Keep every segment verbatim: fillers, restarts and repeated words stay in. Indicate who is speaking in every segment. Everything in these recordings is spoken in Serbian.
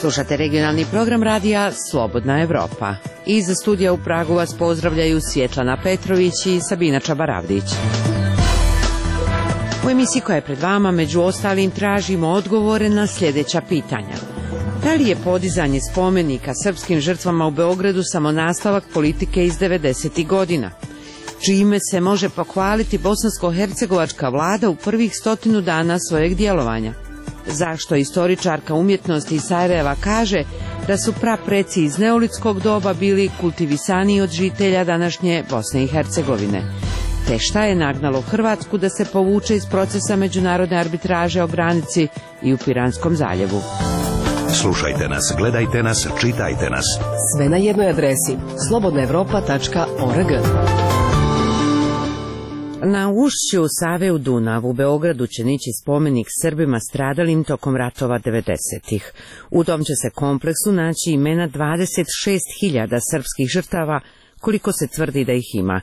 Speaker 1: Slušate regionalni program radija Slobodna Evropa. Iz studija u Pragu vas pozdravljaju Svjetlana Petrović i Sabina Čabaravdić. U emisiji koja je pred vama, među ostalim, tražimo odgovore na sljedeća pitanja. Da li je podizanje spomenika srpskim žrtvama u Beogradu samo nastavak politike iz devedesetih godina? Čime se može pohvaliti bosansko-hercegovačka vlada u prvih stotinu dana svojeg djelovanja? Zašto istoričarka umjetnosti iz Sarajeva kaže da su prapreci iz neolitskog doba bili kultivisaniji od žitelja današnje Bosne i Hercegovine? Te šta je nagnalo Hrvatsku da se povuče iz procesa međunarodne arbitraže o granici i u Piranskom zaljevu?
Speaker 2: Slušajte nas, gledajte nas, čitajte nas.
Speaker 3: Sve na jednoj adresi slobodna evropa tačka org.
Speaker 1: Na ušću Save u Dunav u Beogradu će nići spomenik Srbima stradalim tokom ratova devedesetih. U tom će se kompleksu naći imena dvadeset šest hiljada srpskih žrtava, koliko se tvrdi da ih ima.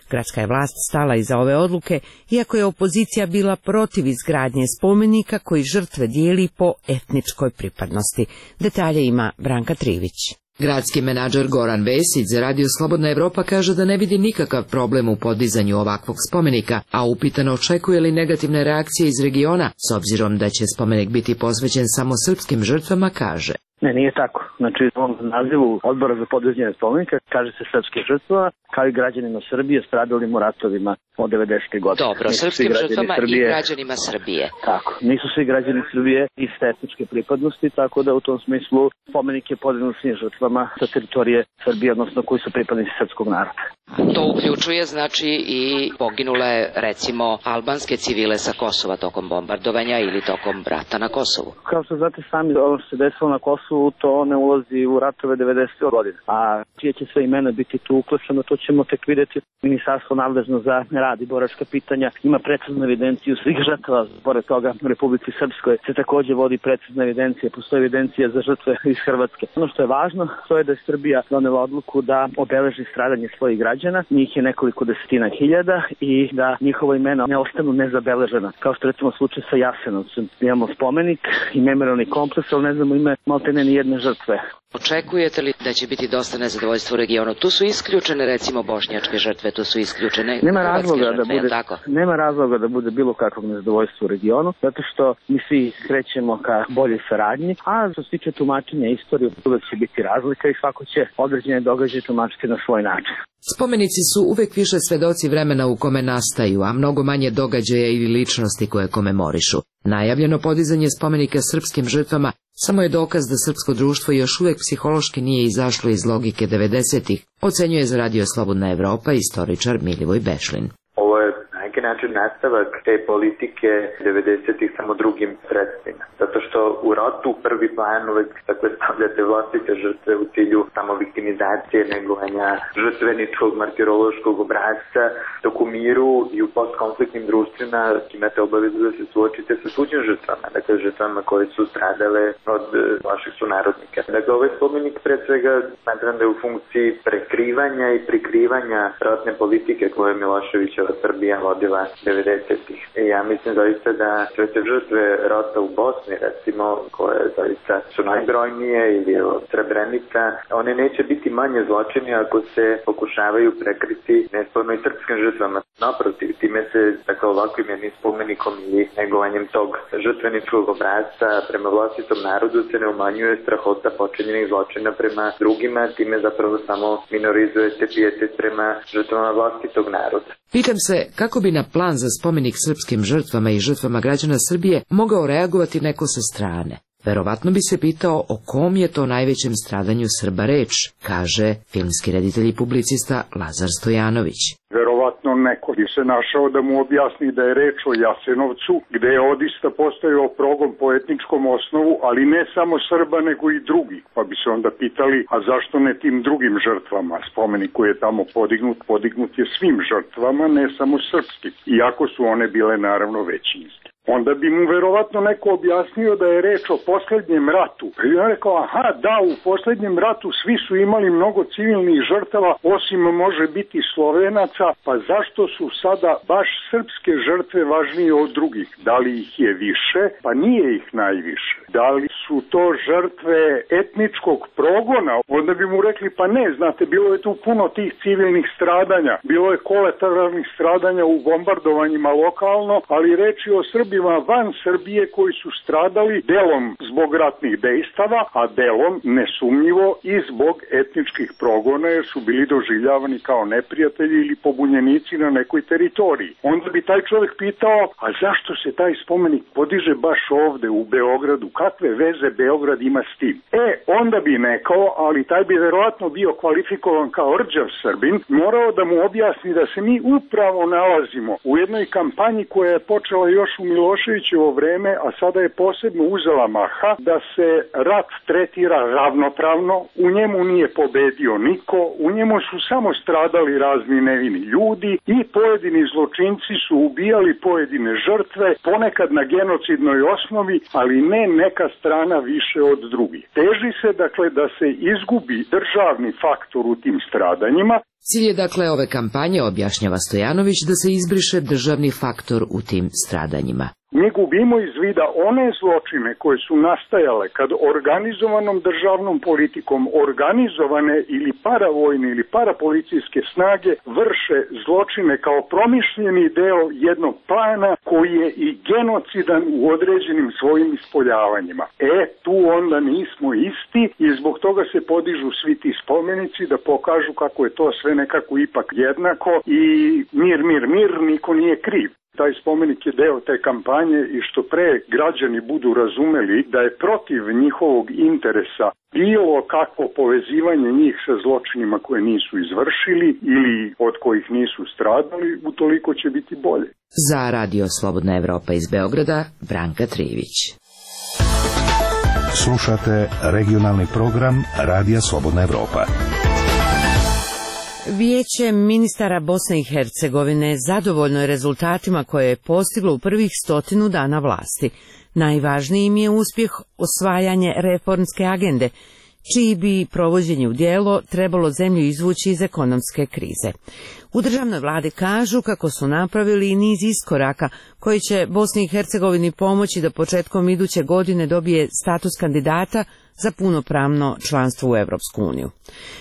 Speaker 1: Gradska je vlast stala iza ove odluke, iako je opozicija bila protiv izgradnje spomenika koji žrtve dijeli po etničkoj pripadnosti. Detalje ima Branka Trivić.
Speaker 4: Gradski menadžer Goran Vesić za Radio Slobodna Evropa kaže da ne vidi nikakav problem u podizanju ovakvog spomenika, a upitano očekuje li negativne reakcije iz regiona, s obzirom da će spomenik biti posvećen samo srpskim žrtvama, kaže.
Speaker 5: Ne, nije tako. Znači, u ovom nazivu Odbora za podizanje spomenika kaže se srpske žrtva, kao i građanima Srbije stradalim u ratovima od devedesetih godina.
Speaker 4: Dobro, nisu srpskim žrtvama Srbije, i građanima Srbije.
Speaker 5: Tako, nisu svi građani Srbije iste etničke pripadnosti, tako da u tom smislu spomenik je podignut svim žrtvama sa teritorije Srbije, odnosno koji su pripadnici srpskog naroda.
Speaker 4: To uključuje, znači, i poginule, recimo, albanske civile sa Kosova tokom bombardovanja ili tokom rata na Kosovu.
Speaker 5: Kao što znate sami, ono što se desilo na Kosovu, to ne ulazi u ratove devedesetih godina. A čije će sve imena biti tu uključeno, to ćemo tek vidjeti. Ministarstvo nadležno za rad i boračka pitanja ima preciznu evidenciju svih žrtava. Pored toga, u Republici Srpskoj se također vodi precizna evidencija, postoji evidencija za žrtve iz Hrvatske. Ono što je važno, to je da je Srbija donela odluku da obeleži stradanje svojih građana, njih je nekoliko desetina hiljada, i da njihova imena ne ostanu nezabeležena. Kao što recimo slučaj sa Jasenovcem. Imamo spomenik i memorijalni kompleks, ali ne znamo ime maltene ni jedne žrtve.
Speaker 4: Očekujete li da će biti dosta nezadovoljstva u regionu? Tu su isključene, recimo, bošnjačke žrtve, tu su isključene
Speaker 5: nema razloga
Speaker 4: žrtve,
Speaker 5: da bude,
Speaker 4: tako?
Speaker 5: Nema razloga da bude bilo kakvog nezadovoljstva u regionu, zato što mi svi krećemo ka boljoj saradnji, a što se tiče tumačenja istorije, uvek će biti razlika i svako će određene događaje tumačiti na svoj način.
Speaker 4: Spomenici su uvek više svedoci vremena u kome nastaju, a mnogo manje događaja ili ličnosti koje komemorišu. Najavljeno podizanje spomenika srpskim žrtvama samo je dokaz da srpsko društvo još uvek psihološki nije izašlo iz logike devedesetih, ocenjuje za Radio Slobodna Evropa istoričar Milivoj Bešlin.
Speaker 6: Ovo je na neki način nastavak te politike devedesetih samo drugim sredstvima. Zato što u ratu prvi plan uvek dakle, stavljate vlastite žrtve u cilju samo viktimizacije, negovanja žrtveničkog, martirološkog obrazca, dok u miru i u postkonfliktnim društvima imate obavezu da se suočite sa tuđim žrtvama, dakle žrtvama koje su stradale od vaših sunarodnika. Dakle, ovaj spomenik pre svega smatram da je u funkciji prekrivanja i prikrivanja ratne politike koje je Miloševićeva Srbija vodila devedesetih. I ja mislim zaista da sve te žrtve rata u Bosni, recimo, koje zaista su najbrojnije, ili od Srebrenica, one neće biti manje zločini ako se pokušavaju prekriti nesporno i srpskim žrtvama. Naprotiv, time se, dakle, ovakvim jednim spomenikom ili negovanjem tog žrtveničkog obrazca prema vlastitom narodu se ne umanjuje strahota počinjenih zločina prema drugima, time zapravo samo minorizujete pijetet prema žrtvama vlastitog naroda.
Speaker 4: Pitam se kako bi na plan za spomenik srpskim žrtvama i žrtvama građana Srbije mogao reagovati neko sa strane. Verovatno bi se pitao o kom je to najvećem stradanju Srba reč, kaže filmski reditelj i publicista Lazar Stojanović.
Speaker 7: Verovatno neko bi se našao da mu objasni da je reč o Jasenovcu, gde je odista postojao progon po etničkom osnovu, ali ne samo Srba nego i drugi. Pa bi se onda pitali, a zašto ne tim drugim žrtvama? Spomenik koji je tamo podignut, podignut je svim žrtvama, ne samo srpskim, iako su one bile naravno većinske. onda bi mu verovatno neko objasnio da je reč o posljednjem ratu. I on rekao, aha, da, u posljednjem ratu svi su imali mnogo civilnih žrtava, osim može biti Slovenaca, pa zašto su sada baš srpske žrtve važnije od drugih? Da li ih je više? Pa nije ih najviše. Da li su to žrtve etničkog progona? Onda bi mu rekli, pa ne, znate, bilo je tu puno tih civilnih stradanja, bilo je kolateralnih stradanja u bombardovanjima lokalno, ali reč je o Srbima van Srbije koji su stradali delom zbog ratnih dejstava, a delom nesumnjivo i zbog etničkih progona, jer su bili doživljavani kao neprijatelji ili pobunjenici na nekoj teritoriji. Onda bi taj čovjek pitao, a zašto se taj spomenik podiže baš ovde u Beogradu? Kakve veze Beograd ima s tim? E, onda bi nekao, ali taj bi verovatno bio kvalifikovan kao rđav Srbin, morao da mu objasni da se mi upravo nalazimo u jednoj kampanji koja je počela još u Miloševićevo vreme, a sada je posebno uzela maha, da se rat tretira ravnopravno, u njemu nije pobedio niko, u njemu su samo stradali razni nevini ljudi i pojedini zločinci su ubijali pojedine žrtve, ponekad na genocidnoj osnovi, ali ne neka strana više od drugih. Teži se, dakle, da se izgubi državni faktor u tim stradanjima.
Speaker 4: Cilj je dakle ove kampanje, objašnjava Stojanović, da se izbriše državni faktor u tim stradanjima.
Speaker 7: Mi gubimo iz vida one zločine koje su nastajale kad organizovanom državnom politikom organizovane ili paravojne ili parapolicijske snage vrše zločine kao promišljeni deo jednog plana koji je i genocidan u određenim svojim ispoljavanjima. E, tu onda nismo isti i zbog toga se podižu svi ti spomenici da pokažu kako je to sve nekako ipak jednako i mir, mir, mir, niko nije kriv. Taj spomenik je deo te kampanje i što pre građani budu razumeli da je protiv njihovog interesa bilo kakvo povezivanje njih sa zločinima koje nisu izvršili ili od kojih nisu stradali, utoliko će biti bolje.
Speaker 4: Za Radio Slobodna Evropa iz Beograda, Branka Trivić.
Speaker 2: Slušate regionalni program Radija Slobodna Evropa.
Speaker 1: Vijeće ministara Bosne i Hercegovine zadovoljno je rezultatima koje je postiglo u prvih stotinu dana vlasti. Najvažniji im je uspjeh osvajanje reformske agende, čiji bi provođenje u djelo trebalo zemlju izvući iz ekonomske krize. U državnoj vladi kažu kako su napravili i niz iskoraka koji će Bosni i Hercegovini pomoći da početkom iduće godine dobije status kandidata za punopravno članstvo u Europsku uniju.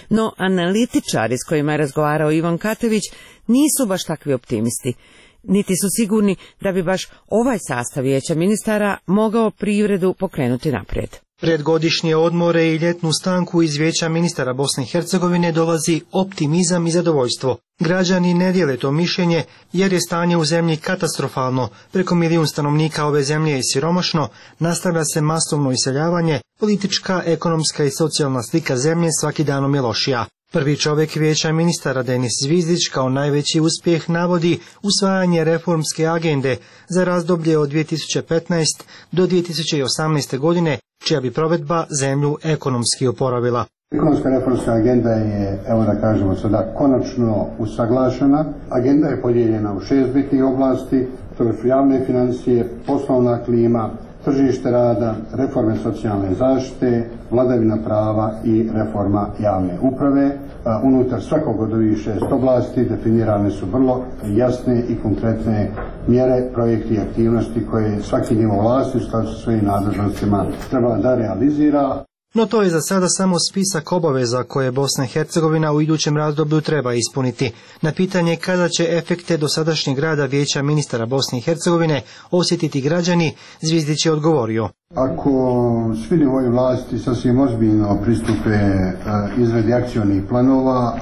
Speaker 1: No, analitičari s kojima je razgovarao Ivan Katević nisu baš takvi optimisti, niti su sigurni da bi baš ovaj sastav vijeća ministara mogao privredu pokrenuti naprijed.
Speaker 8: Pred godišnje odmore i ljetnu stanku iz vijeća ministara Bosne i Hercegovine dolazi optimizam i zadovoljstvo. Građani ne dijele to mišljenje jer je stanje u zemlji katastrofalno, preko milijun stanovnika ove zemlje je siromašno, nastavlja se masovno iseljavanje, politička, ekonomska i socijalna slika zemlje svaki danom je lošija. Prvi čovjek vijeća ministara Denis Zvizdić kao najveći uspjeh navodi usvajanje reformske agende za razdoblje od dvije tisuće petnaeste do dvije tisuće osamnaeste godine, čija bi provedba zemlju ekonomski oporavila.
Speaker 9: Ekonomska reformska agenda je, evo da kažemo sada, konačno usaglašena. Agenda je podijeljena u šest bitnih oblasti, to su javne financije, poslovna klima, tržište rada, reforme socijalne zaštite, vladavina prava i reforma javne uprave. Unutar svakog od ovih šest oblasti definirane su vrlo jasne i konkretne mjere, projekti i aktivnosti koje svaki nivo vlasti u skladu sa svojim nadležnostima treba da realizira.
Speaker 8: No to je za sada samo spisak obaveza koje Bosna i Hercegovina u idućem razdoblju treba ispuniti. Na pitanje kada će efekte dosadašnjeg rada vijeća ministara Bosne i Hercegovine osjetiti građani, Zvizdić je odgovorio.
Speaker 9: Ako svi nivoji vlasti sasvim ozbiljno pristupe izradi akcionih planova,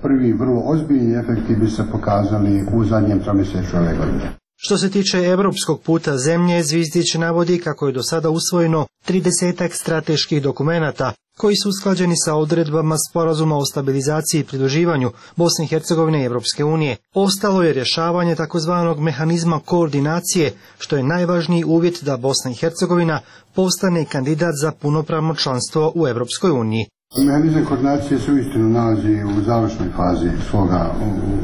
Speaker 9: prvi vrlo ozbiljni efekti bi se pokazali u zadnjem tromjesečju ove godine.
Speaker 8: Što se tiče europskog puta zemlje, Zvizdić navodi kako je do sada usvojeno tridesetak strateških dokumenata koji su usklađeni sa odredbama sporazuma o stabilizaciji i pridruživanju Bosne i Hercegovine i Europske unije. Ostalo je rješavanje takozvanog mehanizma koordinacije, što je najvažniji uvjet da Bosna i Hercegovina postane kandidat za punopravno članstvo u Europskoj uniji.
Speaker 9: Mehanizam koordinacije se uistinu nalazi u završnoj fazi svoga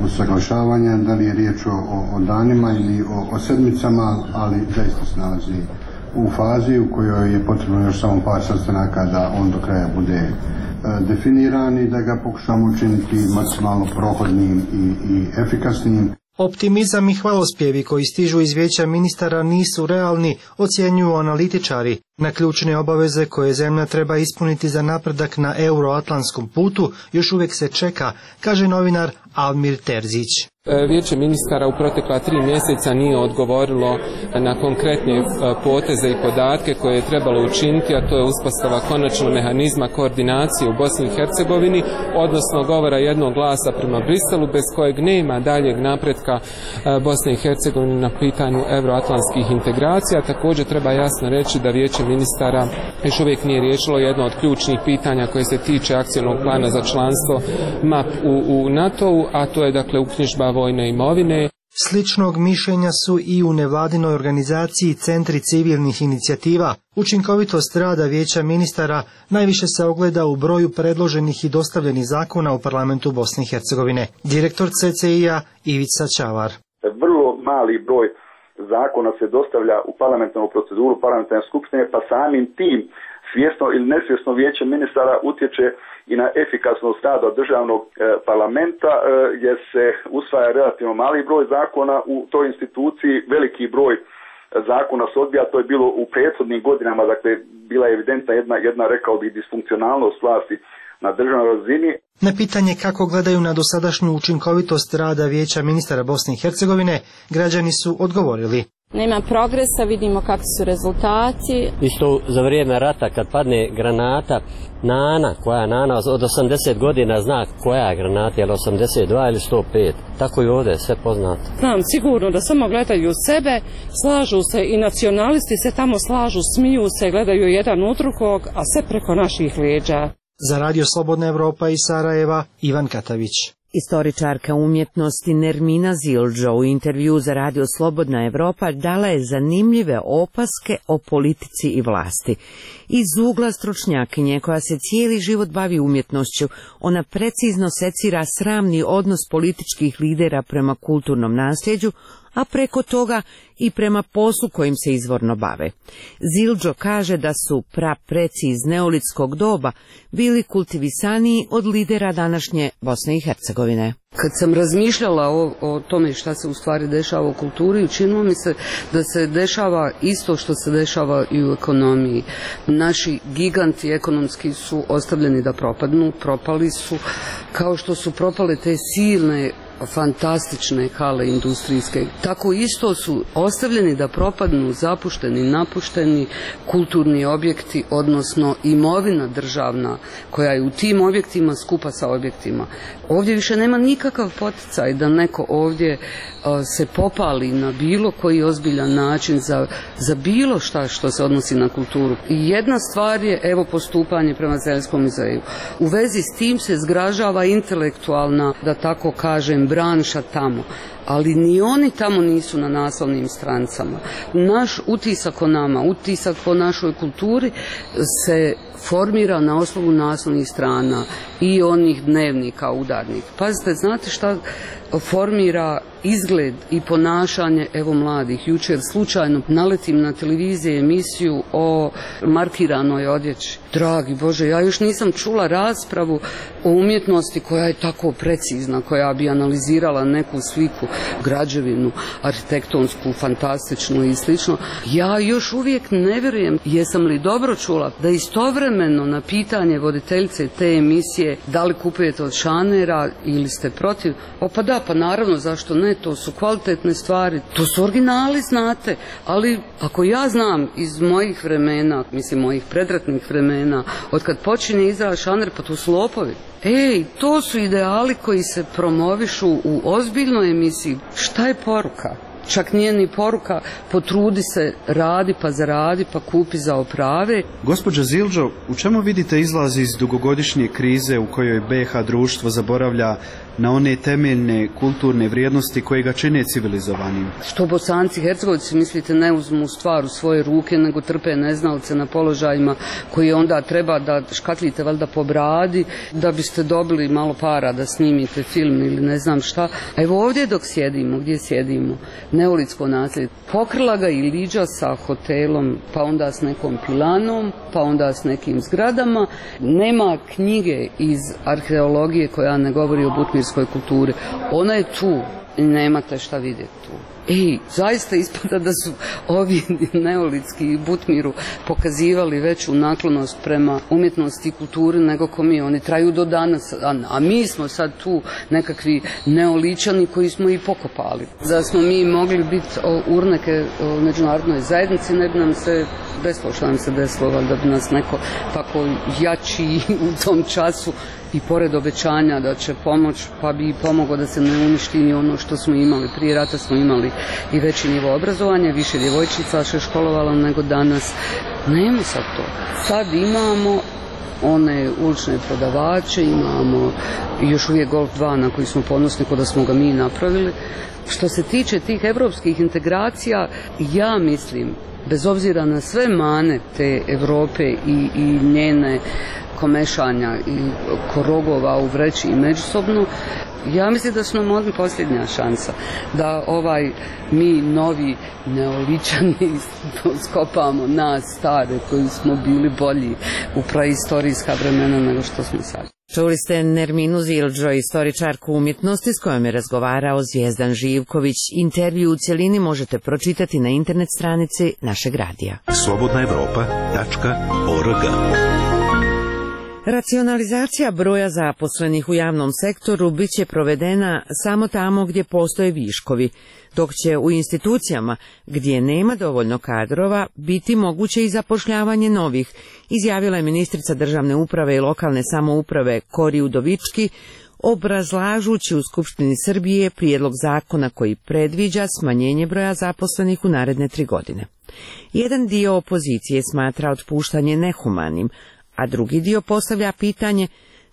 Speaker 9: usaglašavanja, da li je riječ o, o danima ili o, o sedmicama, ali zaista se nalazi u fazi u kojoj je potrebno još samo par sastanaka da on do kraja bude e, definiran i da ga pokušamo učiniti maksimalno prohodnim i, i efikasnim.
Speaker 8: Optimizam i hvalospjevi koji stižu iz vijeća ministara nisu realni, ocjenjuju analitičari. Na ključne obaveze koje zemlja treba ispuniti za napredak na euroatlantskom putu još uvijek se čeka, kaže novinar Almir Terzić.
Speaker 10: Vijeće ministara u protekla tri mjeseca nije odgovorilo na konkretne poteze i podatke koje je trebalo učiniti, a to je uspostava konačnog mehanizma koordinacije u Bosni i Hercegovini, odnosno govora jednog glasa prema Briselu, bez kojeg nema daljeg napretka Bosne i Hercegovine na pitanju euroatlantskih integracija. Također treba jasno reći da Vijeće ministara još uvijek nije riješilo jedno od ključnih pitanja koje se tiče akcijnog plana za članstvo M A P u, u NATO-u, a to je dakle uknjižba vojne imovine.
Speaker 8: Sličnog mišljenja su i u nevladinoj organizaciji Centri civilnih inicijativa. Učinkovitost rada vijeća ministara najviše se ogleda u broju predloženih i dostavljenih zakona u parlamentu Bosne i Hercegovine. Direktor C C I-a Ivica Čavar.
Speaker 11: Vrlo mali broj zakona se dostavlja u parlamentarnu proceduru parlamentarne skupštine, pa samim tim svjesno ili nesvjesno vijeće ministara utječe i na efikasnost rada državnog e, parlamenta, e, jer se usvaja relativno mali broj zakona u toj instituciji, veliki broj zakona se odbija. To je bilo u prethodnim godinama, dakle bila je evidentna jedna, jedna rekao bih disfunkcionalnost vlasti na državnoj razini.
Speaker 8: Na pitanje kako gledaju na dosadašnju učinkovitost rada vijeća ministara Bosne i Hercegovine, građani su odgovorili.
Speaker 12: Nema progresa, vidimo kakvi su rezultati.
Speaker 13: Isto za vrijeme rata kad padne granata, nana, koja nana od osamdeset godina zna koja je granata, je li osamdeset dva ili sto pet. Tako i ovdje, sve poznato.
Speaker 14: Znam sigurno da samo gledaju sebe, slažu se i nacionalisti se tamo slažu, smiju se, gledaju jedan u drugog, a sve preko naših leđa.
Speaker 8: Za Radio Slobodna Evropa iz Sarajeva, Ivan Katavić.
Speaker 1: Istoričarka umjetnosti Nermina Zildžo u intervju za Radio Slobodna Evropa dala je zanimljive opaske o politici i vlasti. Iz ugla stručnjakinje koja se cijeli život bavi umjetnošću, ona precizno secira sramni odnos političkih lidera prema kulturnom nasljeđu, a preko toga i prema poslu kojim se izvorno bave. Zildžo kaže da su prapreci iz neolitskog doba bili kultivisaniji od lidera današnje Bosne i Hercegovine.
Speaker 15: Kad sam razmišljala o, o tome šta se u stvari dešava u kulturi, učinilo mi se da se dešava isto što se dešava i u ekonomiji. Naši giganti ekonomski su ostavljeni da propadnu, propali su, kao što su propale te silne fantastične hale industrijske. Tako isto su ostavljeni da propadnu, zapušteni, napušteni kulturni objekti, odnosno imovina državna koja je u tim objektima skupa sa objektima. Ovdje više nema nikakav poticaj da neko ovdje a, se popali na bilo koji ozbiljan način za, za bilo šta što se odnosi na kulturu. I jedna stvar je, evo, postupanje prema Zeljskom muzeju. U vezi s tim se zgražava intelektualna, da tako kažem, branša tamo. Ali ni oni tamo nisu na naslovnim strancama. Naš utisak o nama, utisak o našoj kulturi se formira na osnovu naslovnih strana i onih dnevnika udarnih. Pazite, znate šta formira izgled i ponašanje evo mladih. Jučer slučajno naletim na televiziji emisiju o markiranoj odjeći. Dragi Bože, ja još nisam čula raspravu o umjetnosti koja je tako precizna, koja bi analizirala neku sliku, građevinu, arhitektonsku, fantastičnu i slično. Ja još uvijek ne vjerujem, jesam li dobro čula, da istovremeno na pitanje voditeljice te emisije da li kupujete od šanera ili ste protiv, o pa da, pa naravno, zašto ne, to su kvalitetne stvari, to su originali, znate, ali ako ja znam iz mojih vremena, mislim mojih predratnih vremena, od kad počinje izraz šaner, pa to su lopovi. Ej, to su ideali koji se promovišu u ozbiljnoj emisiji. Šta je poruka? Čak nije ni poruka potrudi se, radi pa zaradi pa kupi za oprave.
Speaker 16: Gospođo Zildžo, u čemu vidite izlaz iz dugogodišnje krize u kojoj B iH društvo zaboravlja na one temeljne kulturne vrijednosti koje ga čine civilizovanim.
Speaker 15: Što Bosanci, Hercegovci, mislite, ne uzmu stvar u svoje ruke, nego trpe neznalce na položajima koji onda treba da škatlite valjda po bradi, da biste dobili malo para da snimite film ili ne znam šta. A evo ovdje dok sjedimo, gdje sjedimo, neolitsko nasljeđe, pokrila ga i liđa sa hotelom, pa onda s nekom pilanom, pa onda s nekim zgradama. Nema knjige iz arheologije koja ne govori o butmirskoj kulturi. Ona je tu i nemate šta vidjeti tu. Ej, zaista ispada da su ovi neolitski Butmiru pokazivali veću naklonost prema umjetnosti i kulturi nego ko mi. Oni traju do danas, a, a mi smo sad tu nekakvi neoličani koji smo i pokopali. Da smo mi mogli biti urneke u međunarodnoj zajednici, ne bi nam se desilo što nam se desilo, da bi nas neko tako jači u tom času i pored obećanja da će pomoć, pa bi pomogao da se ne uništi ni ono što smo imali. Prije rata smo imali i veći nivo obrazovanja, više djevojčica se školovalo nego danas. Nema sad to. Sad imamo one ulične prodavače, imamo još uvijek Golf dva na koji smo ponosni kod da smo ga mi napravili. Što se tiče tih evropskih integracija, ja mislim, bez obzira na sve mane te Europe i, i njene komešanja i korogova u vreći i međusobno, ja mislim da su nam ovdje posljednja šansa da ovaj mi novi neoličani skopamo nas stare koji smo bili bolji u praistorijska vremena nego što smo sad.
Speaker 1: Čuli ste Nerminu Zildžo, istoričarku umjetnosti s kojom je razgovarao Zvijezdan Živković. Intervju u cjelini možete pročitati na internet stranici našeg radija.
Speaker 2: slobodna evropa tačka org.
Speaker 1: Racionalizacija broja zaposlenih u javnom sektoru bit će provedena samo tamo gdje postoje viškovi, dok će u institucijama gdje nema dovoljno kadrova biti moguće i zapošljavanje novih, izjavila je ministrica državne uprave i lokalne samouprave Kori Udovički, obrazlažući u Skupštini Srbije prijedlog zakona koji predviđa smanjenje broja zaposlenih u naredne tri godine. Jedan dio opozicije smatra otpuštanje nehumanim, a drugi dio postavlja pitanje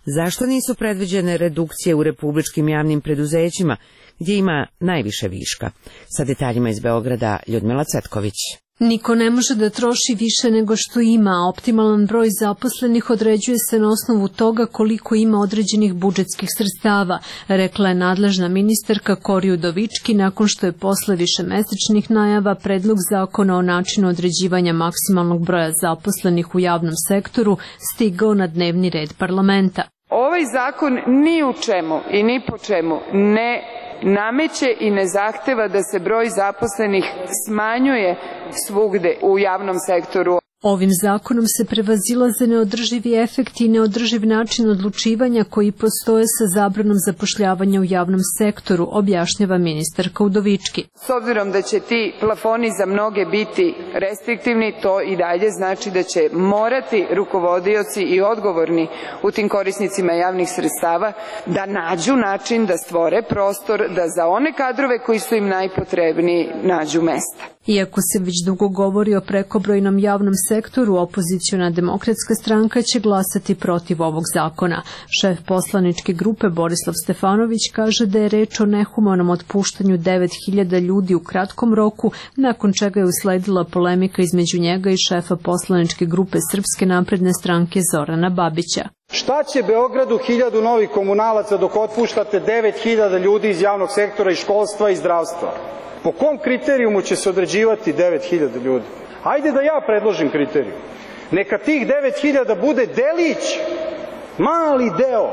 Speaker 1: zašto nisu predviđene redukcije u republičkim javnim preduzećima gdje ima najviše viška. Sa detaljima iz Beograda Ljudmila Cetković.
Speaker 17: Niko ne može da troši više nego što ima, a optimalan broj zaposlenih određuje se na osnovu toga koliko ima određenih budžetskih sredstava, rekla je nadležna ministarka Kori Udovički nakon što je posle višemesečnih najava predlog zakona o načinu određivanja maksimalnog broja zaposlenih u javnom sektoru stigao na dnevni red parlamenta.
Speaker 18: Ovaj zakon ni u čemu i ni po čemu ne nameće i ne zahteva da se broj zaposlenih smanjuje svugde u javnom sektoru.
Speaker 17: Ovim zakonom se prevazilaze neodrživi efekti i neodrživ način odlučivanja koji postoje sa zabranom zapošljavanja u javnom sektoru, objašnjava ministarka Udovički.
Speaker 18: S obzirom da će ti plafoni za mnoge biti restriktivni, to i dalje znači da će morati rukovodioci i odgovorni u tim korisnicima javnih sredstava da nađu način da stvore prostor da za one kadrove koji su im najpotrebniji nađu mesta.
Speaker 17: Iako se već dugo govori o prekobrojnom javnom sektoru, opoziciona demokratska stranka će glasati protiv ovog zakona. Šef poslaničke grupe Borislav Stefanović kaže da je reč o nehumanom otpuštanju devet hiljada ljudi u kratkom roku, nakon čega je usledila polemika između njega i šefa poslaničke grupe Srpske napredne stranke Zorana Babića.
Speaker 19: Šta će Beogradu hiljadu novih komunalaca dok otpuštate devet hiljada ljudi iz javnog sektora i školstva i zdravstva? Po kom kriterijumu će se određivati devet hiljada ljudi? Hajde da ja predložim kriterijum. Neka tih devet hiljada bude delić, mali deo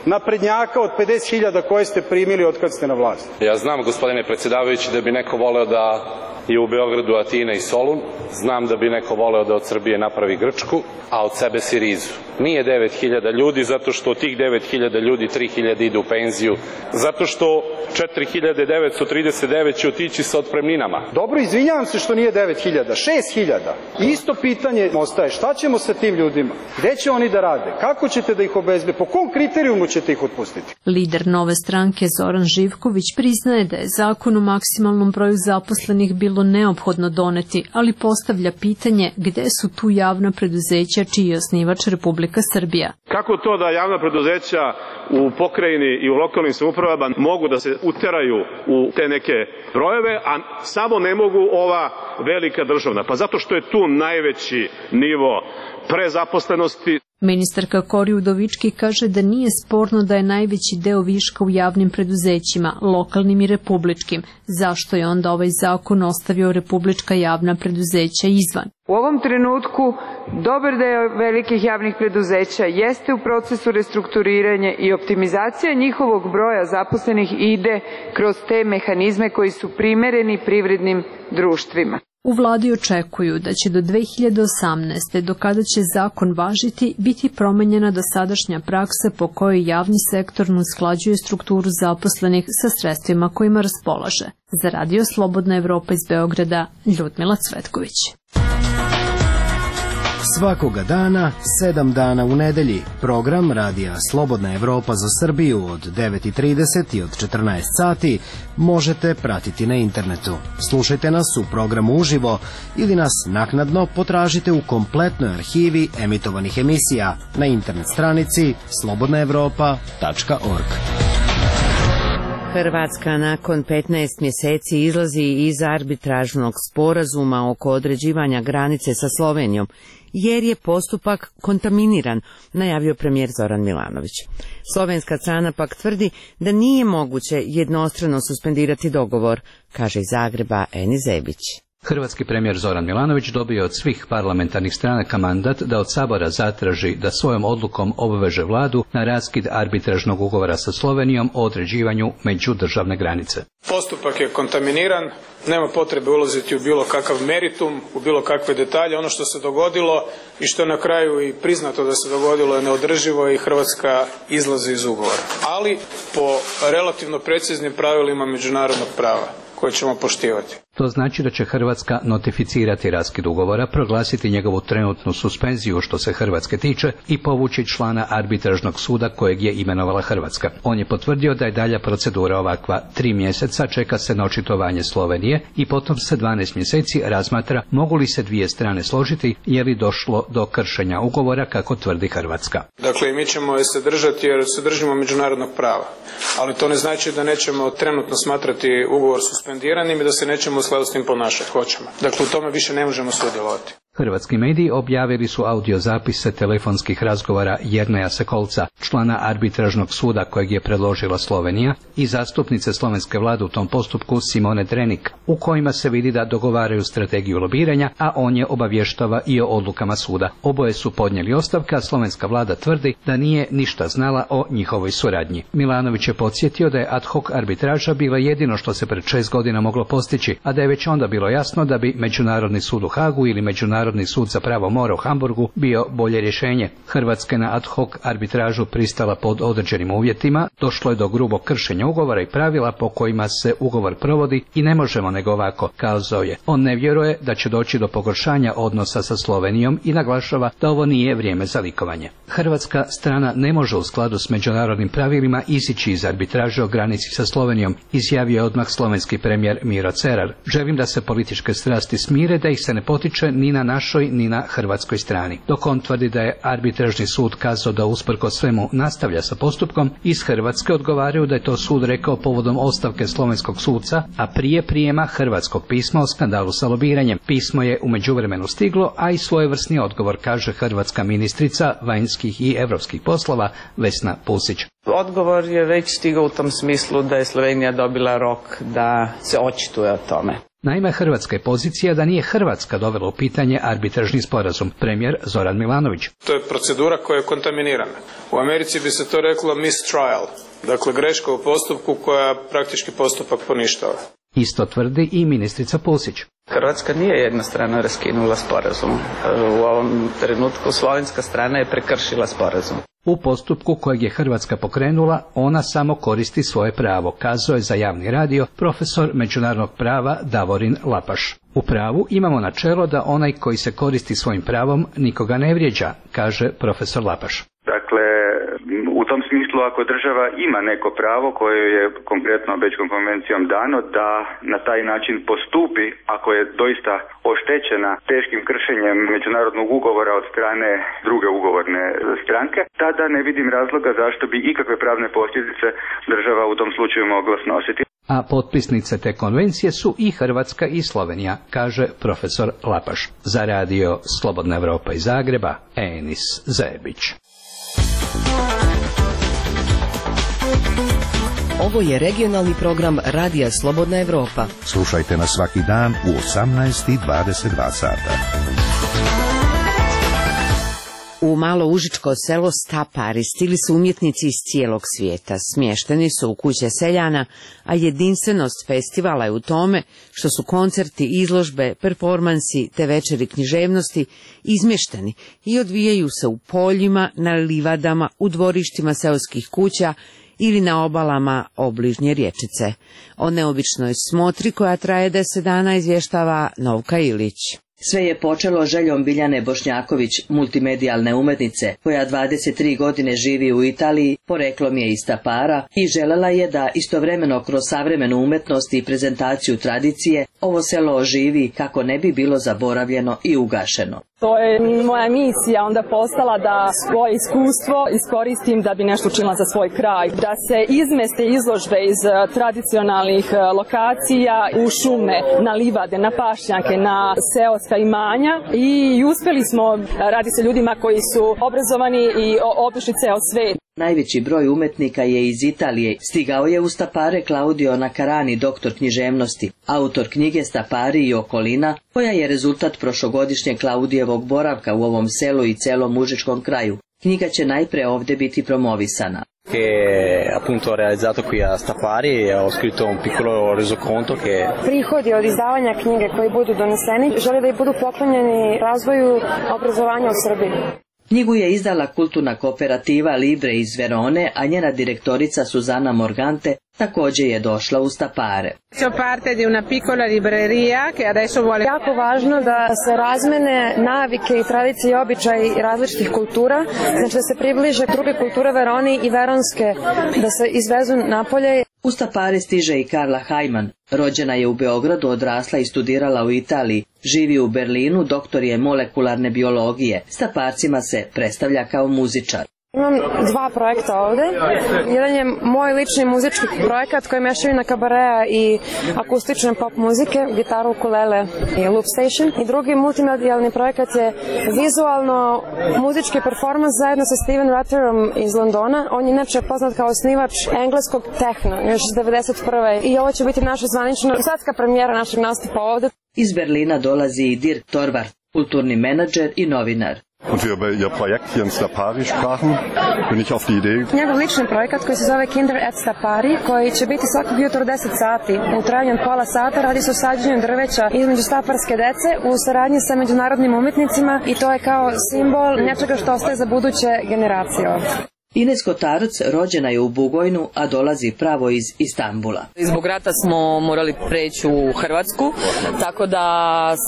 Speaker 19: naprednjaka od pedeset hiljada koje ste primili od kad ste na vlasti.
Speaker 20: Ja znam, gospodine predsjedavajući, da bi neko voleo da je u Beogradu Atina i Solun. Znam da bi neko voleo da od Srbije napravi Grčku, a od sebe Sirizu. Nije devet hiljada ljudi, zato što od tih devet hiljada ljudi tri hiljade ide u penziju, zato što četiri hiljade devetsto trideset devet će otići sa otpremninama.
Speaker 19: Dobro, izvinjavam se što nije devet hiljada, šest hiljada. Isto pitanje ostaje, šta ćemo sa tim ljudima? Gde će oni da rade? Kako ćete da ih obezbedite? Po kom kriterijumu ćete ih otpustiti?
Speaker 17: Lider Nove stranke Zoran Živković priznaje da je zakon o maksimalnom broju zaposlenih bilo bilo neophodno doneti, ali postavlja pitanje gde su tu javna preduzeća čiji je osnivač Republika Srbija.
Speaker 21: Kako to da javna preduzeća u pokrajini i u lokalnim samoupravama mogu da se uteraju u te neke brojeve, a samo ne mogu ova velika državna? Pa zato što je tu najveći nivo prezaposlenosti.
Speaker 17: Ministarka Kori Udovički kaže da nije sporno da je najveći deo viška u javnim preduzećima, lokalnim i republičkim. Zašto je onda ovaj zakon ostavio republička javna preduzeća izvan?
Speaker 18: U ovom trenutku dobar deo velikih javnih preduzeća jeste u procesu restrukturiranja i optimizacija njihovog broja zaposlenih ide kroz te mehanizme koji su primereni privrednim društvima.
Speaker 17: U vladi očekuju da će do dve hiljade osamnaeste. do kada će zakon važiti, biti promenjena dosadašnja praksa po kojoj javni sektor usklađuje strukturu zaposlenih sa sredstvima kojima raspolaže. Za Radio Slobodna Evropa iz Beograda, Ljudmila Cvetković.
Speaker 22: Svakoga dana, sedam dana u nedelji, program Radija Slobodna Evropa za Srbiju od devet i trideset i od četrnaest sati možete pratiti na internetu. Slušajte nas u programu uživo ili nas naknadno potražite u kompletnoj arhivi emitovanih emisija na internet stranici slobodna evropa tačka org.
Speaker 1: Hrvatska nakon petnaest mjeseci izlazi iz arbitražnog sporazuma oko određivanja granice sa Slovenijom, jer je postupak kontaminiran, najavio premijer Zoran Milanović. Slovenska strana pak tvrdi da nije moguće jednostrano suspendirati dogovor, kaže iz Zagreba Eni Zebić.
Speaker 23: Hrvatski premijer Zoran Milanović dobio od svih parlamentarnih stranaka mandat da od Sabora zatraži da svojom odlukom obveže vladu na raskid arbitražnog ugovora sa Slovenijom o određivanju međudržavne granice.
Speaker 19: Postupak je kontaminiran, nema potrebe ulaziti u bilo kakav meritum, u bilo kakve detalje. Ono što se dogodilo i što na kraju i priznato da se dogodilo je neodrživo i Hrvatska izlazi iz ugovora. Ali po relativno preciznim pravilima međunarodnog prava koje ćemo poštivati.
Speaker 23: To znači da će Hrvatska notificirati raskid ugovora, proglasiti njegovu trenutnu suspenziju što se Hrvatske tiče i povući člana arbitražnog suda kojeg je imenovala Hrvatska. On je potvrdio da je dalja procedura ovakva. Tri mjeseca čeka se na očitovanje Slovenije i potom se dvanaest mjeseci razmatra mogu li se dvije strane složiti je li došlo do kršenja ugovora kako tvrdi Hrvatska.
Speaker 19: Dakle, mi ćemo se držati jer se držimo međunarodnog prava, ali to ne znači da nećemo trenutno smatrati ugovor suspendiranim i da se nećemo u skladu s tim ponašati. Hoćemo. Dakle, u tome više ne možemo sudjelovati.
Speaker 23: Hrvatski mediji objavili su audiozapise telefonskih razgovora Jerneja Sekolca, člana arbitražnog suda kojeg je predložila Slovenija, i zastupnice slovenske vlade u tom postupku Simone Drenik, u kojima se vidi da dogovaraju strategiju lobiranja, a on je obavještava i o odlukama suda. Oboje su podnijeli ostavke, a slovenska vlada tvrdi da nije ništa znala o njihovoj suradnji. Milanović je podsjetio da je ad hoc arbitraža bila jedino što se pred šest godina moglo postići, a da je već onda bilo jasno da bi Međunarodni sud u Hagu ili Međunarodni Međunarodni sud za pravo mora u Hamburgu bio bolje rješenje. Hrvatska je na ad hoc arbitražu pristala pod određenim uvjetima, došlo je do grubog kršenja ugovora i pravila po kojima se ugovor provodi i ne možemo nego ovako, kazao je. On ne vjeruje da će doći do pogoršanja odnosa sa Slovenijom i naglašava da ovo nije vrijeme za likovanje. Hrvatska strana ne može u skladu s međunarodnim pravilima izići iz arbitraže o granici sa Slovenijom, izjavio je odmah slovenski premijer Miro Cerar. Želim da se političke strasti smire, da ih se ne potiče ni na našoj ni na hrvatskoj strani. Dok on tvrdi da je arbitražni sud kazao da usprkos svemu nastavlja sa postupkom, iz Hrvatske odgovaraju da je to sud rekao povodom ostavke slovenskog suca, a prije prijema hrvatskog pisma o skandalu sa lobiranjem. Pismo je u međuvremenu stiglo, a i svojevrsni odgovor, kaže hrvatska ministrica vanjskih i europskih poslova Vesna Pusić.
Speaker 24: Odgovor je već stigao u tom smislu da je Slovenija dobila rok da se očituje o tome.
Speaker 23: Naime, hrvatska je pozicija da nije Hrvatska dovela u pitanje arbitražni sporazum. Premijer Zoran Milanović.
Speaker 19: To je procedura koja je kontaminirana. U Americi bi se to reklo mistrial, dakle greška u postupku koja praktički postupak poništava.
Speaker 23: Isto tvrdi i ministrica Pusić.
Speaker 24: Hrvatska nije jednostrano raskinula sporazum. U ovom trenutku slovenska strana je prekršila sporazum.
Speaker 23: U postupku kojeg je Hrvatska pokrenula, ona samo koristi svoje pravo, kazao je za javni radio profesor međunarodnog prava Davorin Lapaš. U pravu imamo načelo da onaj koji se koristi svojim pravom nikoga ne vrijeđa, kaže profesor Lapaš.
Speaker 11: Dakle, u
Speaker 3: tom smislu, ako država ima neko pravo koje je konkretno Bečkom konvencijom dano da na taj način postupi ako je doista oštećena teškim kršenjem međunarodnog ugovora od strane druge ugovorne stranke, tada ne vidim razloga zašto bi ikakve pravne posljedice država u tom slučaju mogla snositi.
Speaker 23: A potpisnice te konvencije su i Hrvatska i Slovenija, kaže profesor Lapaš. Za radio Slobodna Evropa iz Zagreba, Enis Zebić.
Speaker 5: Ovo je regionalni program Radija Slobodna Evropa.
Speaker 2: Slušajte nas svaki dan u osamnaest i dvadeset dva sata.
Speaker 1: U malo užičko selo Stapari stigli su umjetnici iz cijelog svijeta. Smješteni su u kuće seljana, a jedinstvenost festivala je u tome što su koncerti, izložbe, performansi te večeri književnosti izmješteni i odvijaju se u poljima, na livadama, u dvorištima seoskih kuća ili na obalama obližnje rječice. O neobičnoj smotri koja traje deset dana izvještava Novka Ilić.
Speaker 6: Sve je počelo željom Biljane Bošnjaković, multimedijalne umetnice, koja dvadeset tri godine živi u Italiji, poreklom je iz Stapara i želela je da istovremeno kroz savremenu umetnost i prezentaciju tradicije ovo selo oživi kako ne bi bilo zaboravljeno i ugašeno.
Speaker 12: To je moja misija onda postala da svoje iskustvo iskoristim da bi nešto učinila za svoj kraj. Da se izmeste izložbe iz tradicionalnih lokacija u šume, na livade, na pašnjake, na seoska imanja i uspjeli smo, radi se ljudima koji su obrazovani i obišli ceo svet.
Speaker 6: Najveći broj umetnika je iz Italije. Stigao je u Stapare Claudio Nacarani, doktor književnosti, autor knjige Stapari i okolina, koja je rezultat prošlogodišnjeg Claudijevog boravka u ovom selu i celom užičkom kraju. Knjiga će najpre ovdje biti promovisana.
Speaker 7: Che appunto ho realizzato qui a Stapari e ho scritto un piccolo resoconto che
Speaker 25: prihodi od izdavanja knjige koji budu doneseni žele da i budu poklonjeni razvoju obrazovanja u Srbiji.
Speaker 6: Knjigu je izdala kulturna kooperativa Libre iz Verone, a njena direktorica Suzana Morgante također je došla u Stapare.
Speaker 25: Jako važno da se razmene navike i tradicije i običaji različitih kultura, znači da se približe druge kulture Veroni i veronske, da se izvezu napolje.
Speaker 6: U Stapare stiže i Karla Hajman. Rođena je u Beogradu, odrasla i studirala u Italiji. Živi u Berlinu, doktor je molekularne biologije. Staparcima se predstavlja kao muzičar.
Speaker 25: Imam dva projekta ovde. Jedan je moj lični muzički projekat koji mešavina kabareja i akustične pop muzike, gitaru, ukulele i loop station. I drugi multimedijalni projekat je vizualno muzički performans zajedno sa Steven Ratterom iz Londona. On je inače poznat kao osnivač engleskog tehno, još iz devedeset prve. I ovo će biti naša zvanična svetska premijera našeg nastupa ovde.
Speaker 6: Iz Berlina dolazi i Dirk Torvart, kulturni menadžer i novinar.
Speaker 26: Und wir über ihr Projekt hier in Stapari sprachen, bin ich auf die Idee.
Speaker 25: Njegov lični projekat koji se zove Kinder at Stapari, koji će biti svakog jutra deset sati. U trajanju od pola sata radi se o sađenju drveća između staparske dece u saradnji sa međunarodnim umjetnicima i to je kao simbol nečega što ostaje za buduće generacije ovdje.
Speaker 6: Ines Kotarac rođena je u Bugojnu, a dolazi pravo iz Istanbula.
Speaker 27: Zbog rata smo morali preći u Hrvatsku, tako da